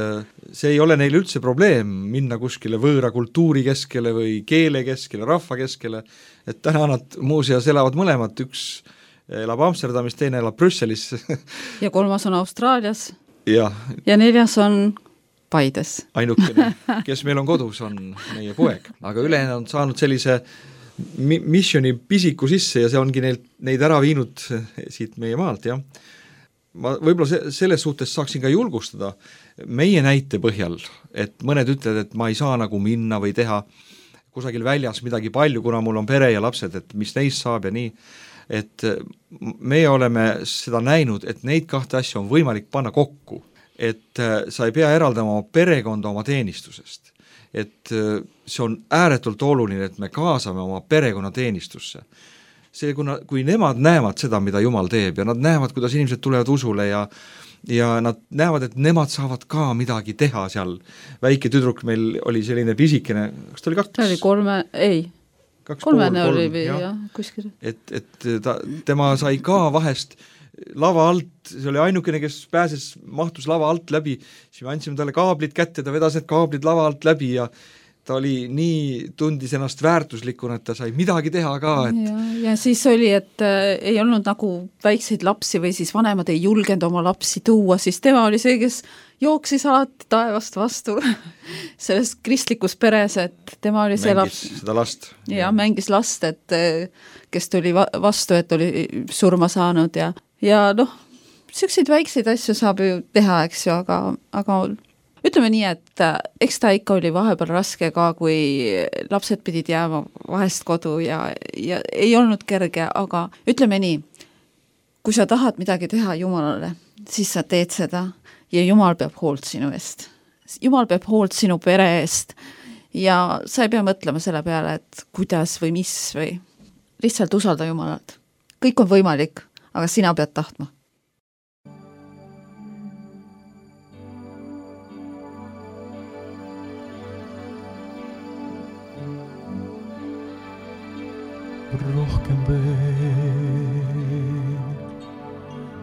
see ei ole neile üldse probleem minna kuskile võõra kultuuri keskele või keele keskele, rahva keskele, et täna nad muuseas elavad mõlemad, üks elab Amsterdamis, teine elab Brüsselis. Ja 3 on Austraalias. Ja 4 on Paides. Ainukene, kes meil on kodus, on meie poeg, aga ülejäänud on saanud sellise missioni pisiku sisse ja see ongi neid ära viinud siit meie maalt, jah. Ma võib-olla selles suhtes saaksin ka julgustada meie näite põhjal, et mõned ütlevad, et ma ei saa nagu minna või teha kusagil väljas midagi palju, kuna mul on pere ja lapsed, et mis neist saab ja nii, et meie oleme seda näinud, et neid 2 asja on võimalik panna kokku, et sa ei pea eraldama oma perekonda oma teenistusest, et see on ääretult oluline, et me kaasame oma perekonna teenistusse. See, kui nemad näevad seda, mida Jumal teeb ja nad näevad, kuidas inimesed tulevad usule ja nad näevad, et nemad saavad ka midagi teha seal. Väike tüdruk meil oli selline pisikene, kas ta oli 2? Ta oli 3, ei. 3 oli või jah, kuskil. Et tema sai ka vahest lava alt, see oli ainukene, kes mahtus lava alt läbi, siis me andsime talle kaablid kätte, ta vedas need kaablid lava alt läbi ja ta oli nii, tundis ennast väärtuslikuna, et ta sai midagi teha ka. Ja siis oli, et ei olnud nagu väikseid lapsi või siis vanemad ei julgenud oma lapsi tuua, siis tema oli see, kes jooksis alati taevast vastu selles kristlikus peres, et tema oli see laps. Seda last. Ja mängis last, et kes tuli vastu, et oli surma saanud ja selliseid väikseid asju saab ju teha, eks ju, aga ütleme nii, et eks ta ikka oli vahepeal raske ka, kui lapsed pidid jääma vahest kodu ja ei olnud kerge, aga ütleme nii, kui sa tahad midagi teha Jumalale, siis sa teed seda ja Jumal peab hoolt sinu eest. Jumal peab hoolt sinu pere eest ja sa ei pea mõtlema selle peale, et kuidas või mis või lihtsalt usalda Jumalat. Kõik on võimalik, aga sina pead tahtma. Rohkem veel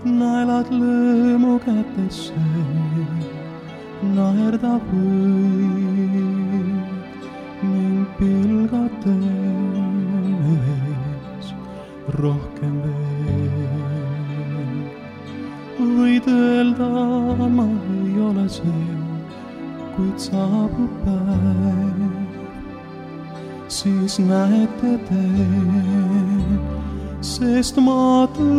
naelad lõõmu kätesse, naerda võid mind pilgates. Rohkem veel võid öelda, ma ei ole see, kuid saabub päev, siis näete te, sest ma tõusen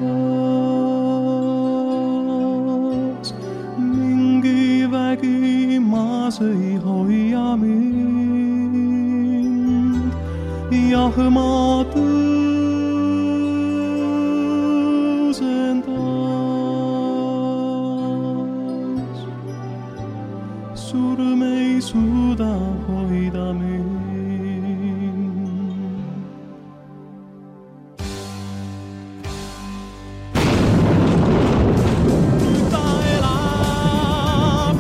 taas. Mingi vägi maas ei hoia mind, jah ma tõusen taas. Surm ei suuda hoida mind. Nüüd ta elab,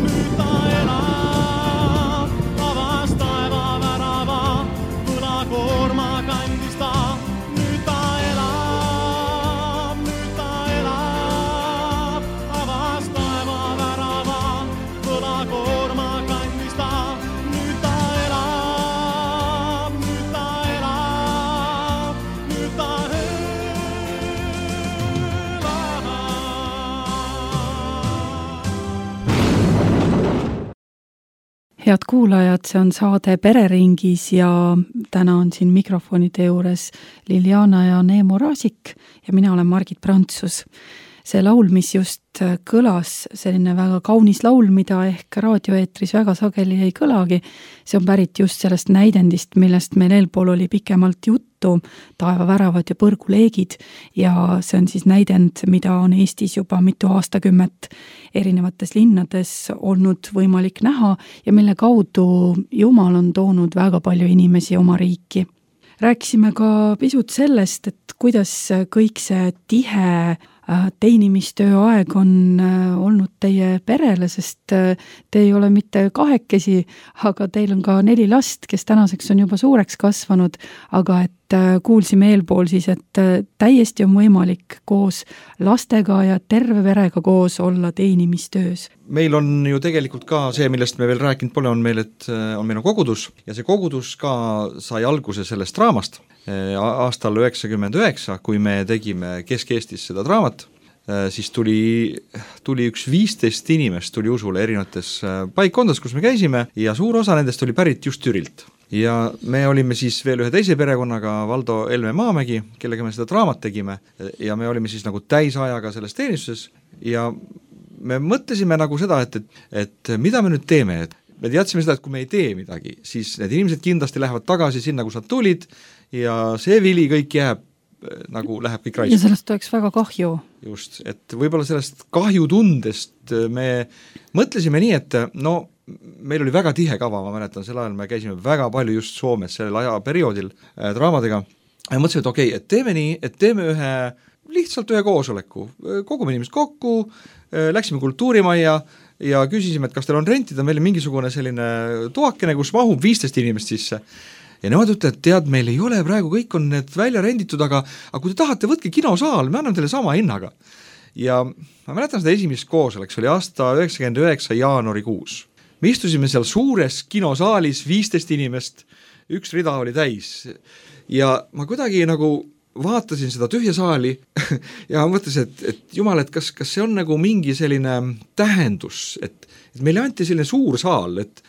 avas taeva värava, võlakoorma kandis ta. Nüüd ta elab, head kuulajad, see on saade Pereringis ja täna on siin mikrofonide juures Liliana ja Neemo Raasik ja mina olen Margit Prantsus. See laul, mis just kõlas, selline väga kaunis laul, mida ehk raadioeetris väga sageli ei kõlagi, see on pärit just sellest näidendist, millest meil eelpool oli pikemalt juttu, Taevaväravad ja põrguleegid, ja see on siis näidend, mida on Eestis juba mitu aastakümmet erinevates linnades olnud võimalik näha ja mille kaudu Jumal on toonud väga palju inimesi oma riiki. Rääkisime ka pisut sellest, et kuidas kõik see tihe teenimistöö aeg on olnud teie perele, sest te ei ole mitte kahekesi, aga teil on ka 4 last, kes tänaseks on juba suureks kasvanud, aga et kuulsime eelpool siis, et täiesti on võimalik koos lastega ja terve perega koos olla teenimistöös. Meil on ju tegelikult ka see, millest me veel rääkinud pole, on meil on kogudus ja see kogudus ka sai alguse sellest draamast. Aastal 99, kui me tegime Kesk-Eestis seda draamat, siis tuli üks 15 inimest tuli usule erinevates paikkondades, kus me käisime ja suur osa nendest oli pärit just Türilt. Ja me olime siis veel ühe teise perekonnaga, Valdo Elme Maamägi, kellega me seda draamat tegime ja me olime siis nagu täisajaga selles teenistuses ja me mõtlesime nagu seda, et mida me nüüd teeme, et me teadsime seda, et kui me ei tee midagi, siis need inimesed kindlasti lähevad tagasi sinna, kus nad tulid ja see vili kõik jääb, nagu läheb kõik raisku. Ja sellest oleks väga kahju. Just, et võib-olla sellest kahjutundest me mõtlesime nii, et no meil oli väga tihe kava, ma mäletan, sel ajal me käisime väga palju just Soomes sellel ajaperioodil draamadega ja mõtlesime, et okei, et teeme nii, et teeme lihtsalt ühe koosoleku, kogume inimesed kokku, läksime kultuurimajja ja küsisime, et kas teil on rentida meile mingisugune selline toakene, kus mahub 15 inimest sisse. Ja nemad ütlevad, et tead, meil ei ole praegu, kõik on need välja renditud, aga kui te tahate, võtke kinosaal, me anname teile sama hinnaga. Ja ma mäletan seda esimest koosoleks, oli aasta 99 jaanuarikuus. Me istusime seal suures kinosaalis, 15 inimest, üks rida oli täis. Ja ma kuidagi nagu vaatasin seda tühja saali ja mõtlesin, et jumal, et kas see on nagu mingi selline tähendus, et meile anti selline suur saal, et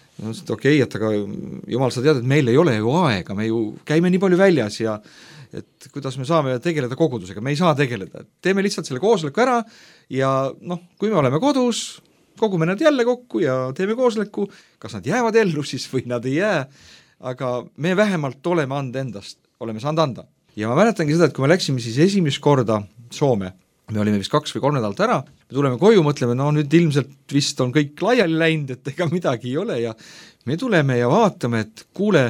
okei, et aga jumal, sa tead, et meil ei ole ju aega, me ju käime nii palju väljas ja et kuidas me saame tegeleda kogudusega, me ei saa tegeleda, teeme lihtsalt selle koosoleku ära ja kui me oleme kodus, kogume nad jälle kokku ja teeme koosoleku, kas nad jäävad ellu siis või nad ei jää, aga me vähemalt oleme saanud anda. Ja ma mäletangi seda, et kui me läksime siis esimest korda Soome, me olime vist 2 või 3 nädalat ära, me tuleme koju, mõtleme, nüüd ilmselt vist on kõik laiali läinud, et ega midagi ei ole ja me tuleme ja vaatame, et kuule,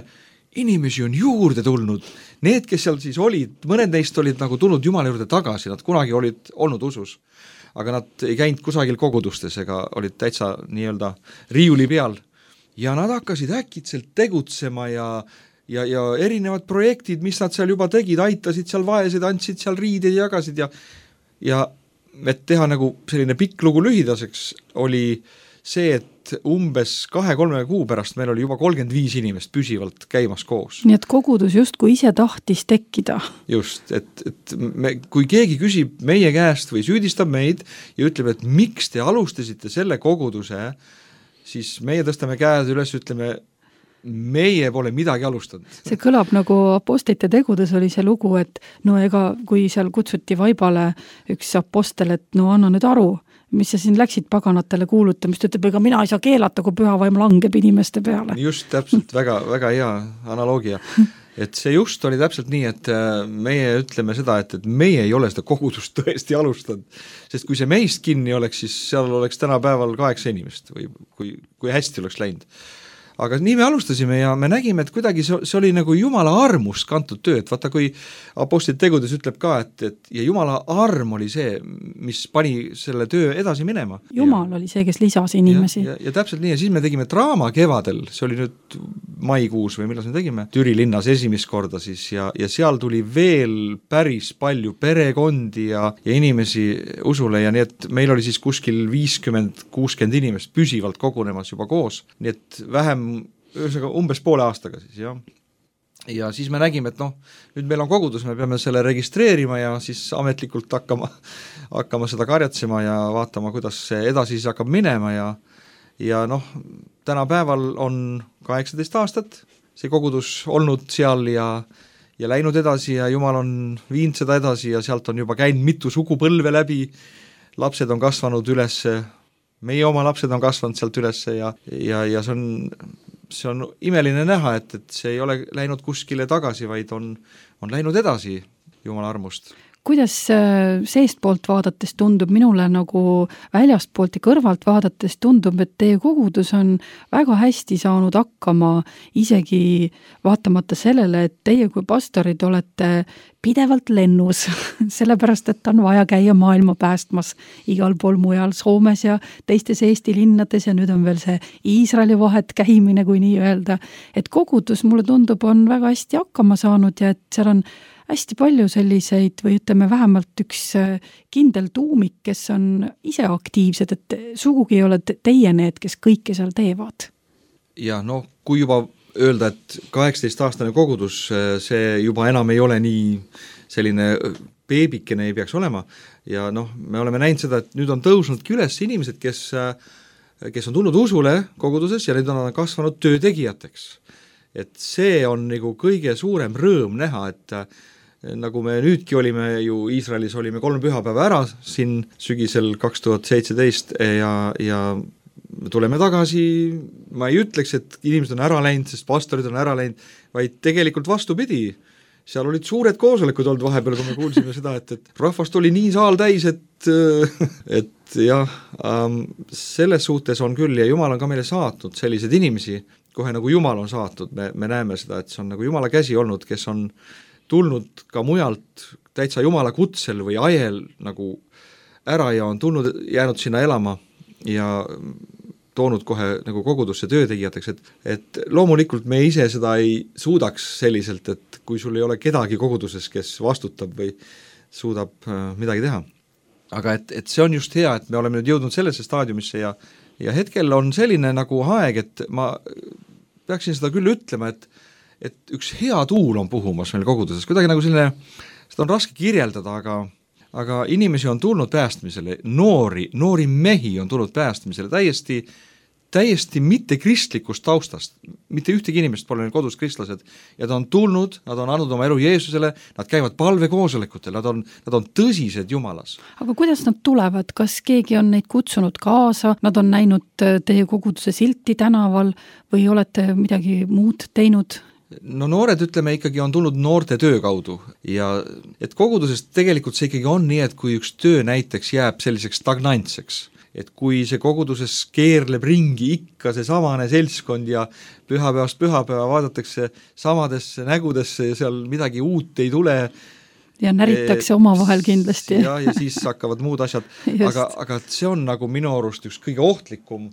inimesi on juurde tulnud. Need, kes seal siis olid, mõned neist olid nagu tulnud Jumala juurde tagasi, nad kunagi olid olnud usus, aga nad ei käinud kusagil kogudustes ega olid täitsa nii-öelda riiuli peal ja nad hakkasid äkitselt tegutsema ja erinevad projektid, mis nad seal juba tegid, aitasid seal vaesed, andsid seal riideid ja jagasid ja et teha nagu selline pikk lugu lühidaseks oli see, et umbes 2-3 kuu pärast meil oli juba 35 inimest püsivalt käimas koos. Nii et kogudus justkui ise tahtis tekkida. Just, et kui keegi küsib meie käest või süüdistab meid ja ütleb, et miks te alustasite selle koguduse, siis meie tõstame käed üles, ütleme, meie pole midagi alustanud. See kõlab nagu Apostlite tegudes oli see lugu, et ega kui seal kutsuti vaibale üks apostel, et anna nüüd aru, mis sa siin läksid paganatele kuulutamist, ütleb, ega mina ei saa keelata, kui püha vaim langeb inimeste peale. Just täpselt, väga, väga hea analoogia. Et see just oli täpselt nii, et meie ütleme seda, et meie ei ole seda kogudust tõesti alustanud, sest kui see meist kinni oleks, siis seal oleks tänapäeval 8 inimest või kui hästi oleks läinud. Aga nii me alustasime ja me nägime, et kuidagi see oli nagu Jumala armust kantud töö, et vaata, kui Apostlite tegudes ütleb ka, et ja Jumala arm oli see, mis pani selle töö edasi minema. Jumal oli see, kes lisas inimesi. Ja täpselt nii, ja siis me tegime draama kevadel, see oli nüüd maikuus või millal me tegime, Türi linnas esimest korda siis ja seal tuli veel päris palju perekondi ja inimesi usule ja nii, et meil oli siis kuskil 50-60 inimest püsivalt kogunemas juba koos, nii et vähem umbes poole aastaga siis, jah. Ja siis me nägime, et nüüd meil on kogudus, me peame selle registreerima ja siis ametlikult hakkama seda karjatsema ja vaatama, kuidas see edasi siis hakkab minema ja tänapäeval on 18 aastat see kogudus olnud seal ja läinud edasi ja Jumal on viinud seda edasi ja sealt on juba käinud mitu sugupõlve läbi, lapsed on kasvanud üles, meie oma lapsed on kasvanud sealt üles ja see on imeline näha, et see ei ole läinud kuskile tagasi, vaid on läinud edasi Jumala armust. Kuidas seestpoolt vaadates tundub, minule nagu väljastpoolt ja kõrvalt vaadates tundub, et teie kogudus on väga hästi saanud hakkama, isegi vaatamata sellele, et teie kui pastorid olete pidevalt lennus, sellepärast, et on vaja käia maailma päästmas igal pool mujal Soomes ja teistes Eesti linnades ja nüüd on veel see Iisraeli vahet käimine, kui nii öelda. Et kogudus, mulle tundub, on väga hästi hakkama saanud ja et seal on hästi palju selliseid või ütleme vähemalt üks kindel tuumik, kes on ise aktiivsed, et sugugi ei ole teie need, kes kõike seal teevad. Ja kui juba öelda, et 18-aastane kogudus, see juba enam ei ole nii selline beebikene ei peaks olema ja me oleme näinud seda, et nüüd on tõusnudki üles inimesed, kes on tulnud usule koguduses ja nüüd on kasvanud töötegijateks. Et see on nagu kõige suurem rõõm näha, et nagu me nüüdki olime ju Iisraelis, olime 3 pühapäeva ära siin sügisel 2017 ja tuleme tagasi, ma ei ütleks, et inimesed on ära läinud, sest pastorid on ära läinud, vaid tegelikult vastupidi. Seal olid suured koosolekud olnud vahepeal, kui me kuulsime seda, et rahvast oli nii saal täis, et jah, selles suhtes on küll ja Jumal on ka meile saatnud sellised inimesi, kohe nagu Jumal on saatnud, me näeme seda, et see on nagu Jumala käsi olnud, kes on tulnud ka mujalt täitsa Jumala kutsel või ajel nagu ära ja on jäänud sinna elama ja toonud kohe nagu kogudusse töötegijateks, et loomulikult me ise seda ei suudaks selliselt, et kui sul ei ole kedagi koguduses, kes vastutab või suudab midagi teha. Aga et see on just hea, et me oleme nüüd jõudnud sellesse staadiumisse ja hetkel on selline nagu aeg, et ma peaksin seda küll ütlema, et üks hea tuul on puhumas meil koguduses, kuidagi nagu selline, seda on raske kirjeldada, aga inimesi on tulnud päästmisele, noori mehi on tulnud päästmisele täiesti mitte kristlikust taustast, mitte ühtegi inimest pole neil kodus kristlased ja ta on tulnud, nad on andnud oma elu Jeesusele, nad käivad palvekoosolekutel, nad on tõsised Jumalas. Aga kuidas nad tulevad, kas keegi on neid kutsunud kaasa, nad on näinud teie koguduse silti tänaval või olete midagi muud teinud? Noored, ütleme, ikkagi on tulnud noorte töö kaudu ja et koguduses tegelikult see ikkagi on nii, et kui üks töö näiteks jääb selliseks stagnantseks, et kui see koguduses keerleb ringi ikka see samane seltskond ja pühapäevast pühapäeva vaadatakse samadesse nägudesse ja seal midagi uut ei tule. Ja näritakse omavahel kindlasti. Ja siis hakkavad muud asjad, aga see on nagu minu arust üks kõige ohtlikum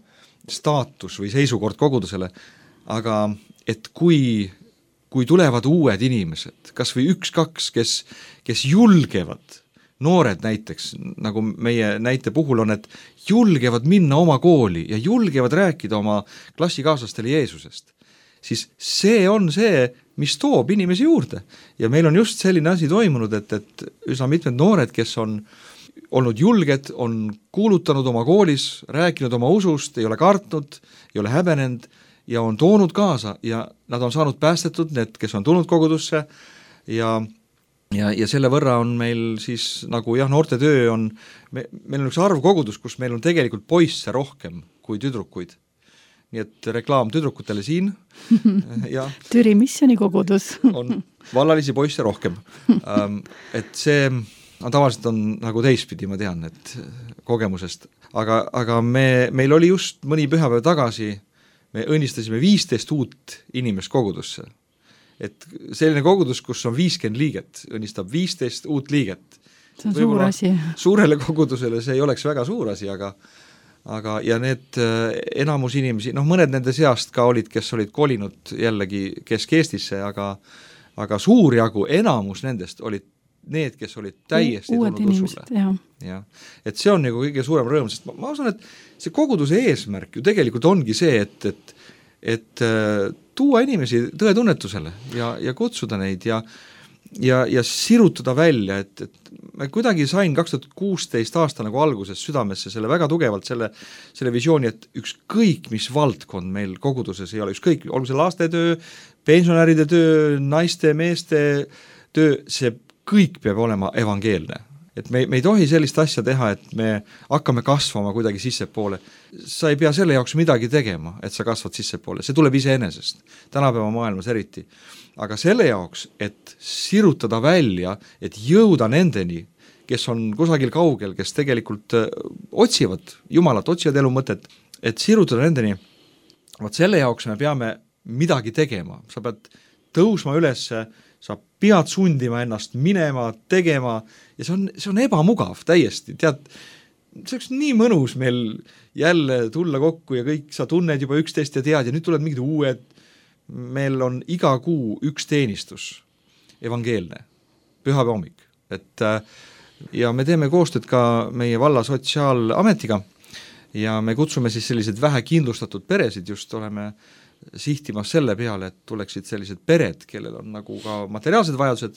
staatus või seisukord kogudusele, aga et kui tulevad uued inimesed, kas või 1-2, kes julgevad, noored näiteks, nagu meie näite puhul on, et julgevad minna oma kooli ja julgevad rääkida oma klassikaaslastele Jeesusest, siis see on see, mis toob inimesi juurde. Ja meil on just selline asi toimunud, et üsna mitmed noored, kes on olnud julged, on kuulutanud oma koolis, rääkinud oma usust, ei ole kartnud, ei ole häbenenud, ja on toonud kaasa ja nad on saanud päästetud, need, kes on tulnud kogudusse ja selle võrra on meil siis nagu noorte töö on, meil on üks arv kogudus, kus meil on tegelikult poisse rohkem kui tüdrukuid. Nii et reklaam tüdrukutele siin. Ja Türi missiooni kogudus. On vallalisi poisse rohkem. Et see tavaliselt on nagu teistpidi, ma tean, et kogemusest. Aga meil oli just mõni pühapäev tagasi, me õnnistasime 15 uut inimest kogudusse. Et selline kogudus, kus on 50 liiget, õnnistab 15 uut liiget. See on suur asi. Suurele kogudusele see ei oleks väga suur asi, aga ja need enamus inimesi, mõned nende seast ka olid, kes olid kolinud jällegi Kesk-Eestisse, aga suur jagu, enamus nendest olid need, kes olid täiesti tulnud usule. Ja. Et see on nagu kõige suurem rõõm, sest ma usun, et see koguduse eesmärk ju tegelikult ongi see, et tuua inimesi tõetunnetusele ja kutsuda neid ja ja sirutada välja, et ma kuidagi sain 2016 aasta nagu alguses südamesse selle väga tugevalt, selle visiooni, et ükskõik, mis valdkond meil koguduses ei ole, ükskõik, olgu see lastetöö, pensionäride töö, naiste, meeste töö, see kõik peab olema evangeelne. Et me ei tohi sellist asja teha, et me hakkame kasvama kuidagi sissepoole. Sa ei pea selle jaoks midagi tegema, et sa kasvad sissepoole, see tuleb iseenesest, tänapäeva maailmas eriti. Aga selle jaoks, et sirutada välja, et jõuda nendeni, kes on kusagil kaugel, kes tegelikult otsivad Jumalat, otsivad elu mõtet, et sirutada nendeni, vaat selle jaoks me peame midagi tegema, sa pead tõusma ülesse, sa pead sundima ennast minema, tegema ja see on ebamugav täiesti, tead, see oleks nii mõnus meil jälle tulla kokku ja kõik sa tunned juba üksteist ja tead ja nüüd tulevad mingid uued, meil on iga kuu üks teenistus, evangeelne, pühapäeva hommik, et ja me teeme koostööd ka meie valla sotsiaalametiga ja me kutsume siis sellised vähekindlustatud peresid, just oleme sihtimas selle peale, et tuleksid sellised pered, kellel on nagu ka materiaalsed vajadused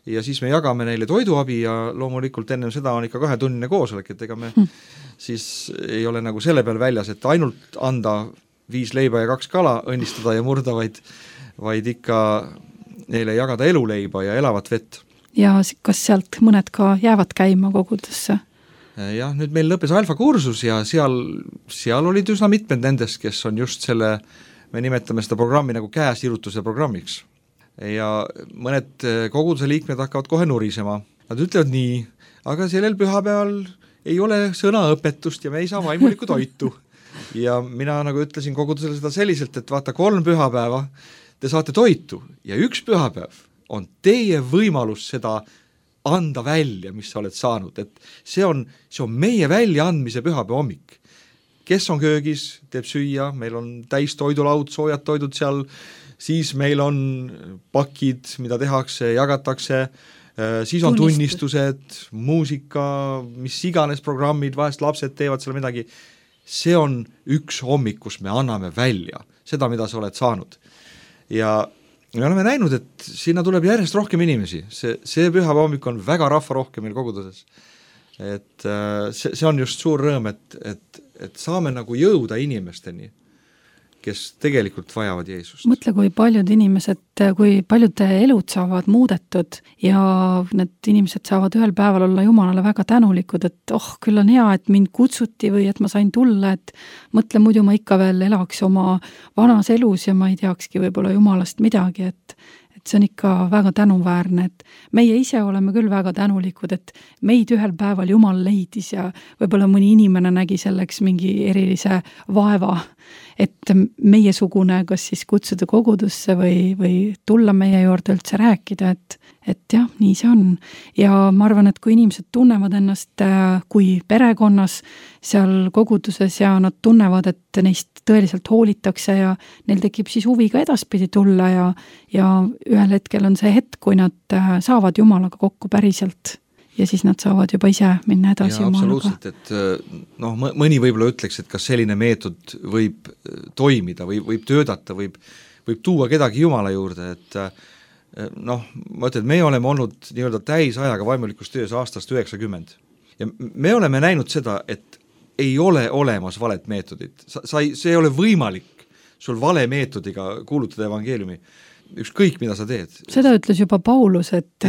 ja siis me jagame neile toiduabi ja loomulikult ennem seda on ikka 2-tunnine koosolek, et ega me siis ei ole nagu selle peal väljas, et ainult anda 5 leiba ja 2 kala, õnnistada ja murda, vaid ikka neile jagada eluleiba ja elavat vett. Ja kas sealt mõned ka jäävad käima kogudusse? Jah, nüüd meil lõppes alfa kursus ja seal olid üsna mitmed nendest, kes on just selle, me nimetame seda programmi nagu käesirutuse programmiks. Ja mõned koguduse liikmed hakkavad kohe nurisema. Nad ütlevad nii, aga sellel pühapäeval ei ole sõnaõpetust ja me ei saa vaimulikku toitu. Ja mina nagu ütlesin kogudusele seda selliselt, et vaata 3 pühapäeva te saate toitu ja 1 pühapäev on teie võimalus seda anda välja, mis sa oled saanud, et see on meie väljaandmise pühapäeva hommik. Kes on köögis, teeb süüa, meil on täis toidulaud, soojad toidud seal, siis meil on pakid, mida tehakse, jagatakse, siis on tunnistused, muusika, mis iganes programmid, vahest lapsed teevad seal midagi. See on 1 hommik, kus me anname välja seda, mida sa oled saanud. Ja me oleme näinud, et sinna tuleb järjest rohkem inimesi, see pühapäeva hommik on väga rahva rohkem meil koguduses. Et see on just suur rõõm, et saame nagu jõuda inimesteni, kes tegelikult vajavad Jeesust. Mõtle, kui paljud inimesed, kui paljude elud saavad muudetud ja need inimesed saavad ühel päeval olla Jumalale väga tänulikud, et küll on hea, et mind kutsuti või et ma sain tulla, et mõtle, muidu ma ikka veel elaks oma vanas elus ja ma ei teakski võib-olla Jumalast midagi, et see on ikka väga tänuväärne, et meie ise oleme küll väga tänulikud, et meid ühel päeval Jumal leidis ja võib-olla mõni inimene nägi selleks mingi erilise vaeva, et meiesugune kas siis kutsuda kogudusse või tulla meie juurde üldse rääkida, et jah, nii see on. Ja ma arvan, et kui inimesed tunnevad ennast kui perekonnas seal koguduses ja nad tunnevad, et neist tõeliselt hoolitakse ja neil tekib siis huvi ka edaspidi tulla ja ühel hetkel on see hetk, kui nad saavad Jumalaga kokku päriselt ja siis nad saavad juba ise minna edasi Jumalaga. Absoluutselt, et mõni võib-olla ütleks, et kas selline meetod võib toimida või võib töötada, võib tuua kedagi Jumala juurde, et ma ütlen, et me oleme olnud nii-öelda täisajaga vaimulikus töös aastast 90 ja me oleme näinud seda, et ei ole olemas valet meetodit, see ei ole võimalik sul vale meetodiga kuulutada evangeeliumi, ükskõik mida sa teed. Seda ütles juba Paulus, et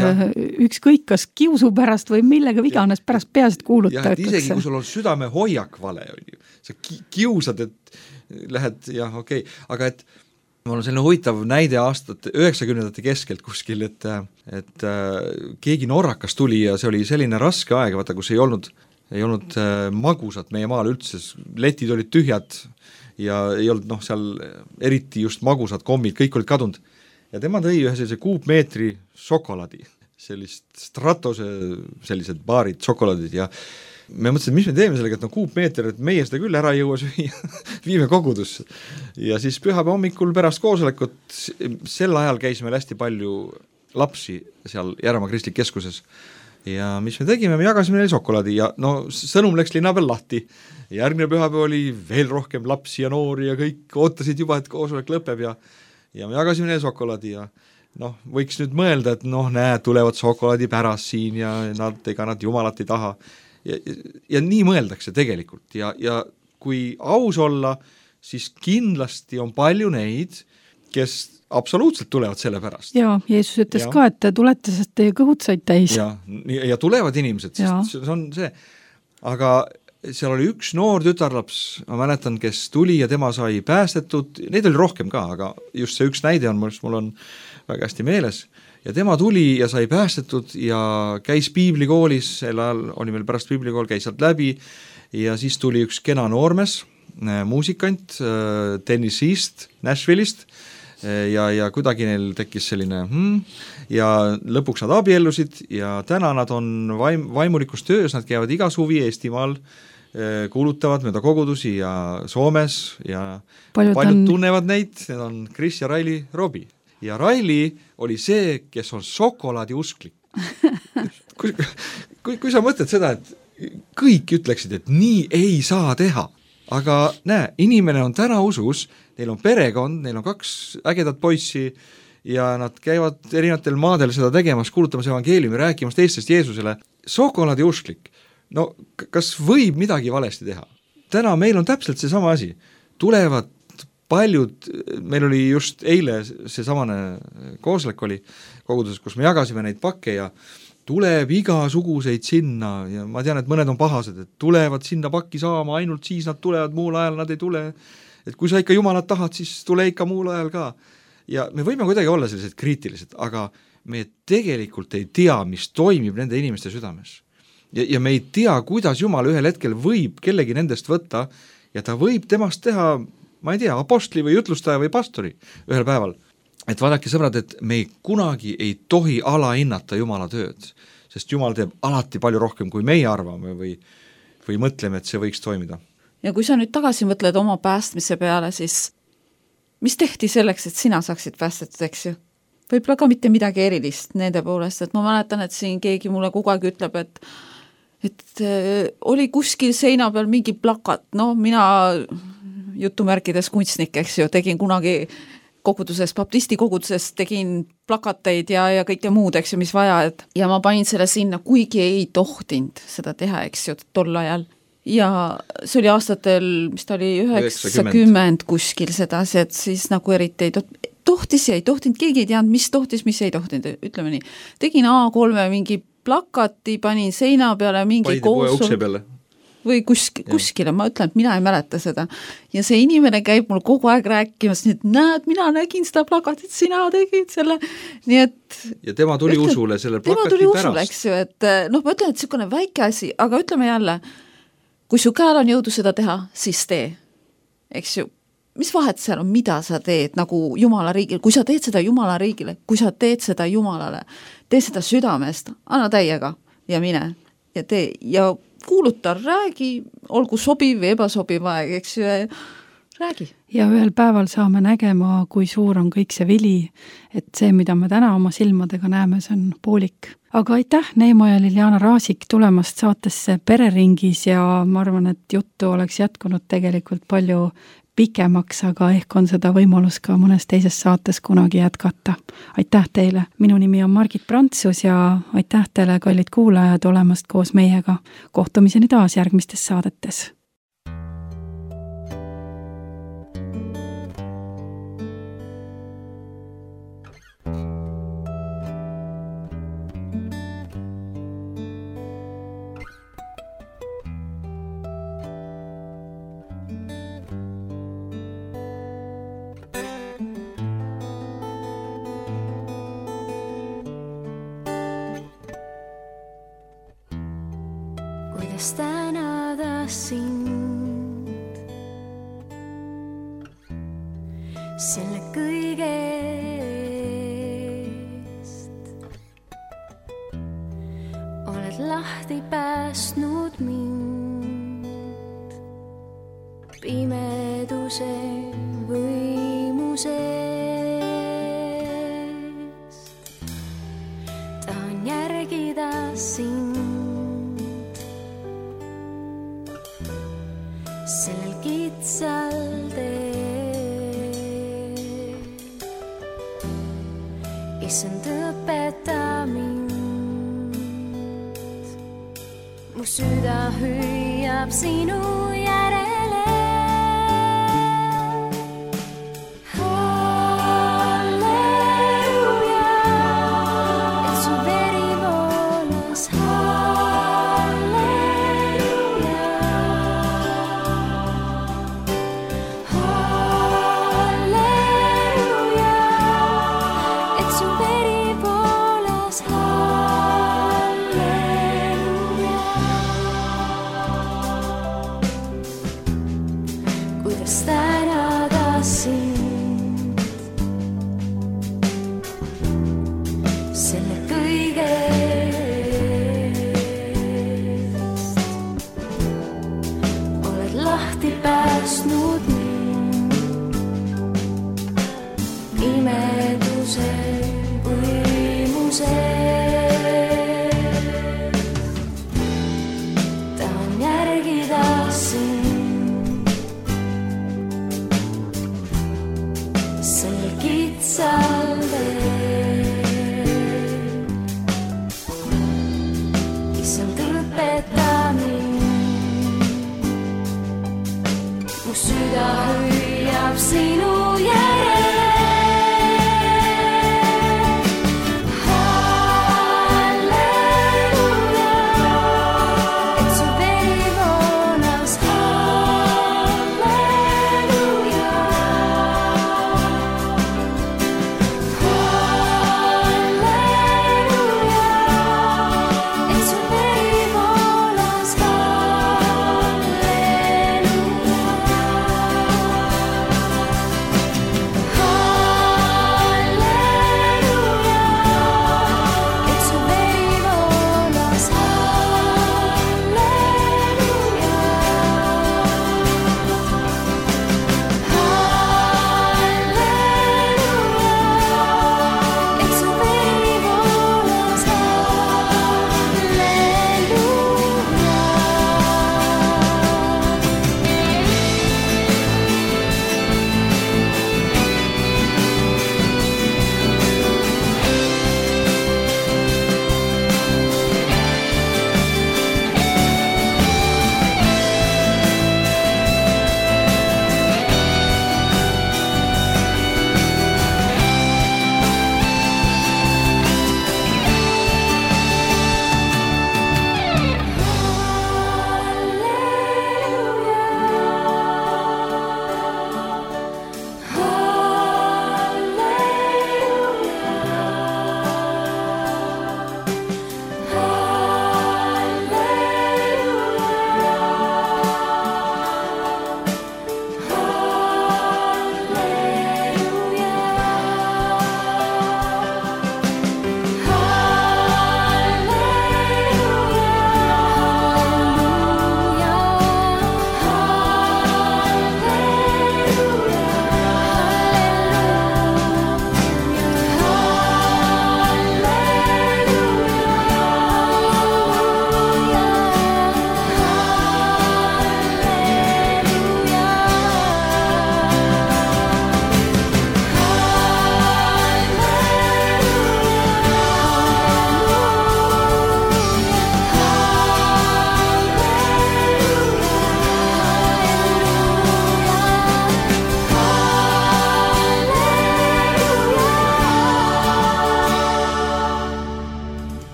ükskõik kas kiusu pärast või millega iganes pärast peasid kuuluta. Ja isegi kui sul on südame hoiak vale, sa kiusad, et lähed, aga et mul on selline huvitav näide aastate 90-ndate keskelt kuskil, et keegi norrakas tuli ja see oli selline raske aeg, vaata, kus ei olnud magusat meie maal üldse, letid olid tühjad ja ei olnud seal eriti just magusad kommid, kõik olid kadunud. Ja tema tõi ühe sellise kuupmeetri šokolaadi, sellist Stratose sellised baarid šokolaadid ja me mõtlesin, mis me teeme sellega, et kuupmeeter, et meie seda küll ära ei jõua süüa, viime kogudusse. Ja siis pühapäeva hommikul pärast koosolekut, sel ajal käis meil hästi palju lapsi seal Järvemaa Kristlik keskuses. Ja mis me tegime, me jagasime neile šokolaadi ja sõnum läks linna peal lahti. Järgmine pühapäev oli veel rohkem lapsi ja noori ja kõik ootasid juba, et koosolek lõpeb ja me jagasime neile šokolaadi ja noh, võiks nüüd mõelda, et noh, näed, tulevad šokolaadi pärast siin ja ega nad jumalat ei taha. Ja nii mõeldakse tegelikult ja kui aus olla, siis kindlasti on palju neid, kes absoluutselt tulevad selle pärast. Jaa, Jeesus ütles ka, et tulete, sest teie kõhud said täis. Ja tulevad inimesed, sest see on see. Aga seal oli üks noor tütarlaps, ma mäletan, kes tuli ja tema sai päästetud, neid oli rohkem ka, aga just see üks näide on, mul on väga hästi meeles, ja tema tuli ja sai päästetud ja käis piiblikoolis, sel ajal oli meil pärast piiblikool, käis sealt läbi ja siis tuli üks kena noormes, muusikant, tennisist Nashville'ist ja kuidagi neil tekkis selline ja lõpuks nad abiellusid ja täna nad on vaimulikus töös, nad käivad iga suvi Eestimaal, kuulutavad mööda kogudusi ja Soomes ja paljud tunnevad neid, need on Chris ja Riley Robbie. Ja Riley oli see, kes on šokolaadi usklik. Kui sa mõtled seda, et kõik ütleksid, et nii ei saa teha, aga näe, inimene on täna usus, neil on perekond, neil on 2 ägedat poissi ja nad käivad erinevatel maadel seda tegemas, kuulutamas evangeeliumi, rääkimas teistest Jeesusele. Šokolaadi usklik. No kas võib midagi valesti teha? Täna meil on täpselt see sama asi. Tulevad paljud, meil oli just eile see samane kooslek oli koguduses, kus me jagasime neid pakke ja tuleb igasuguseid sinna ja ma tean, et mõned on pahased, et tulevad sinna pakki saama, ainult siis nad tulevad, muul ajal nad ei tule. Et kui sa ikka jumalat tahad, siis tule ikka muul ajal ka. Ja me võime kuidagi olla sellised kriitilised, aga me tegelikult ei tea, mis toimib nende inimeste südames. Ja me ei tea, kuidas Jumal ühel hetkel võib kellegi nendest võtta ja ta võib temast teha, ma ei tea, apostli või jutlustaja või pastori ühel päeval. Et vaadake sõbrad, et me kunagi ei tohi alahinnata Jumala tööd, sest Jumal teeb alati palju rohkem, kui meie arvame või mõtleme, et see võiks toimida. Ja kui sa nüüd tagasi mõtled oma päästmise peale, siis mis tehti selleks, et sina saaksid päästetud, eks ju? Võib-olla ka mitte midagi erilist nende poolest, et ma mäletan, et siin keegi mulle kogu aeg ütleb, et oli kuskil seina peal mingi plakat, mina jutumärkides kunstnik, eks ju, tegin kunagi koguduses, baptisti koguduses tegin plakateid ja kõike muud, eks ju, mis vaja, ja ma panin selle sinna, kuigi ei tohtinud seda teha, eks ju, tol ajal. Ja see oli aastatel, mis ta oli 90 kuskil sedasi, et siis nagu eriti tohtis ja ei tohtinud, keegi ei teadnud, mis tohtis, mis ei tohtinud, ütleme nii. Tegin A3 mingi plakati, panin seina peale mingi ukse peale või kuskile, ma ütlen, et mina ei mäleta seda. Ja see inimene käib mul kogu aeg rääkimas, nii et näed, mina nägin seda plakatit, sina tegid selle, nii et ja tema tuli usule selle plakati pärast. Usule, eks ju, et ma ütlen, et niisugune väike asi, aga ütleme jälle, kui su käel on jõudu seda teha, siis tee, eks ju. Mis vahet seal on, mida sa teed nagu Jumala riigile, kui sa teed seda Jumala riigile, kui sa teed seda Jumalale, tee seda südamest, anna täiega ja mine ja tee ja kuuluta, räägi, olgu sobiv või ebasobiv aeg, eks ju, räägi. Ja ühel päeval saame nägema, kui suur on kõik see vili, et see, mida me täna oma silmadega näeme, see on poolik. Aga aitäh, Neimo ja Liliana Raasik tulemast saatesse Pereringis ja ma arvan, et juttu oleks jätkunud tegelikult palju pikemaks, aga ehk on seda võimalus ka mõnes teises saates kunagi jätkata. Aitäh teile! Minu nimi on Margit Prantsus ja aitäh teile, kallid kuulajad, olemast koos meiega. Kohtumiseni taas järgmistes saadetes. Tänada sind selle kõige eest. Oled lahti päästnud mind pimeduse võimusest. Tahan järgida sind sellel kitsal teel issand õpeta mind. Mu süda hüüab sinu järele. Halleluja, et su veri voolas. Halleluja, halleluja, et su veri voolas. Kuidas tänada sind selle kõige eest. Oled lahti päästnud mind imeduse võimuse. Tahan järgida sind kitsal teel. Issand õpeta mind. Mu süda hüüab sinu järele.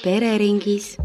pereringis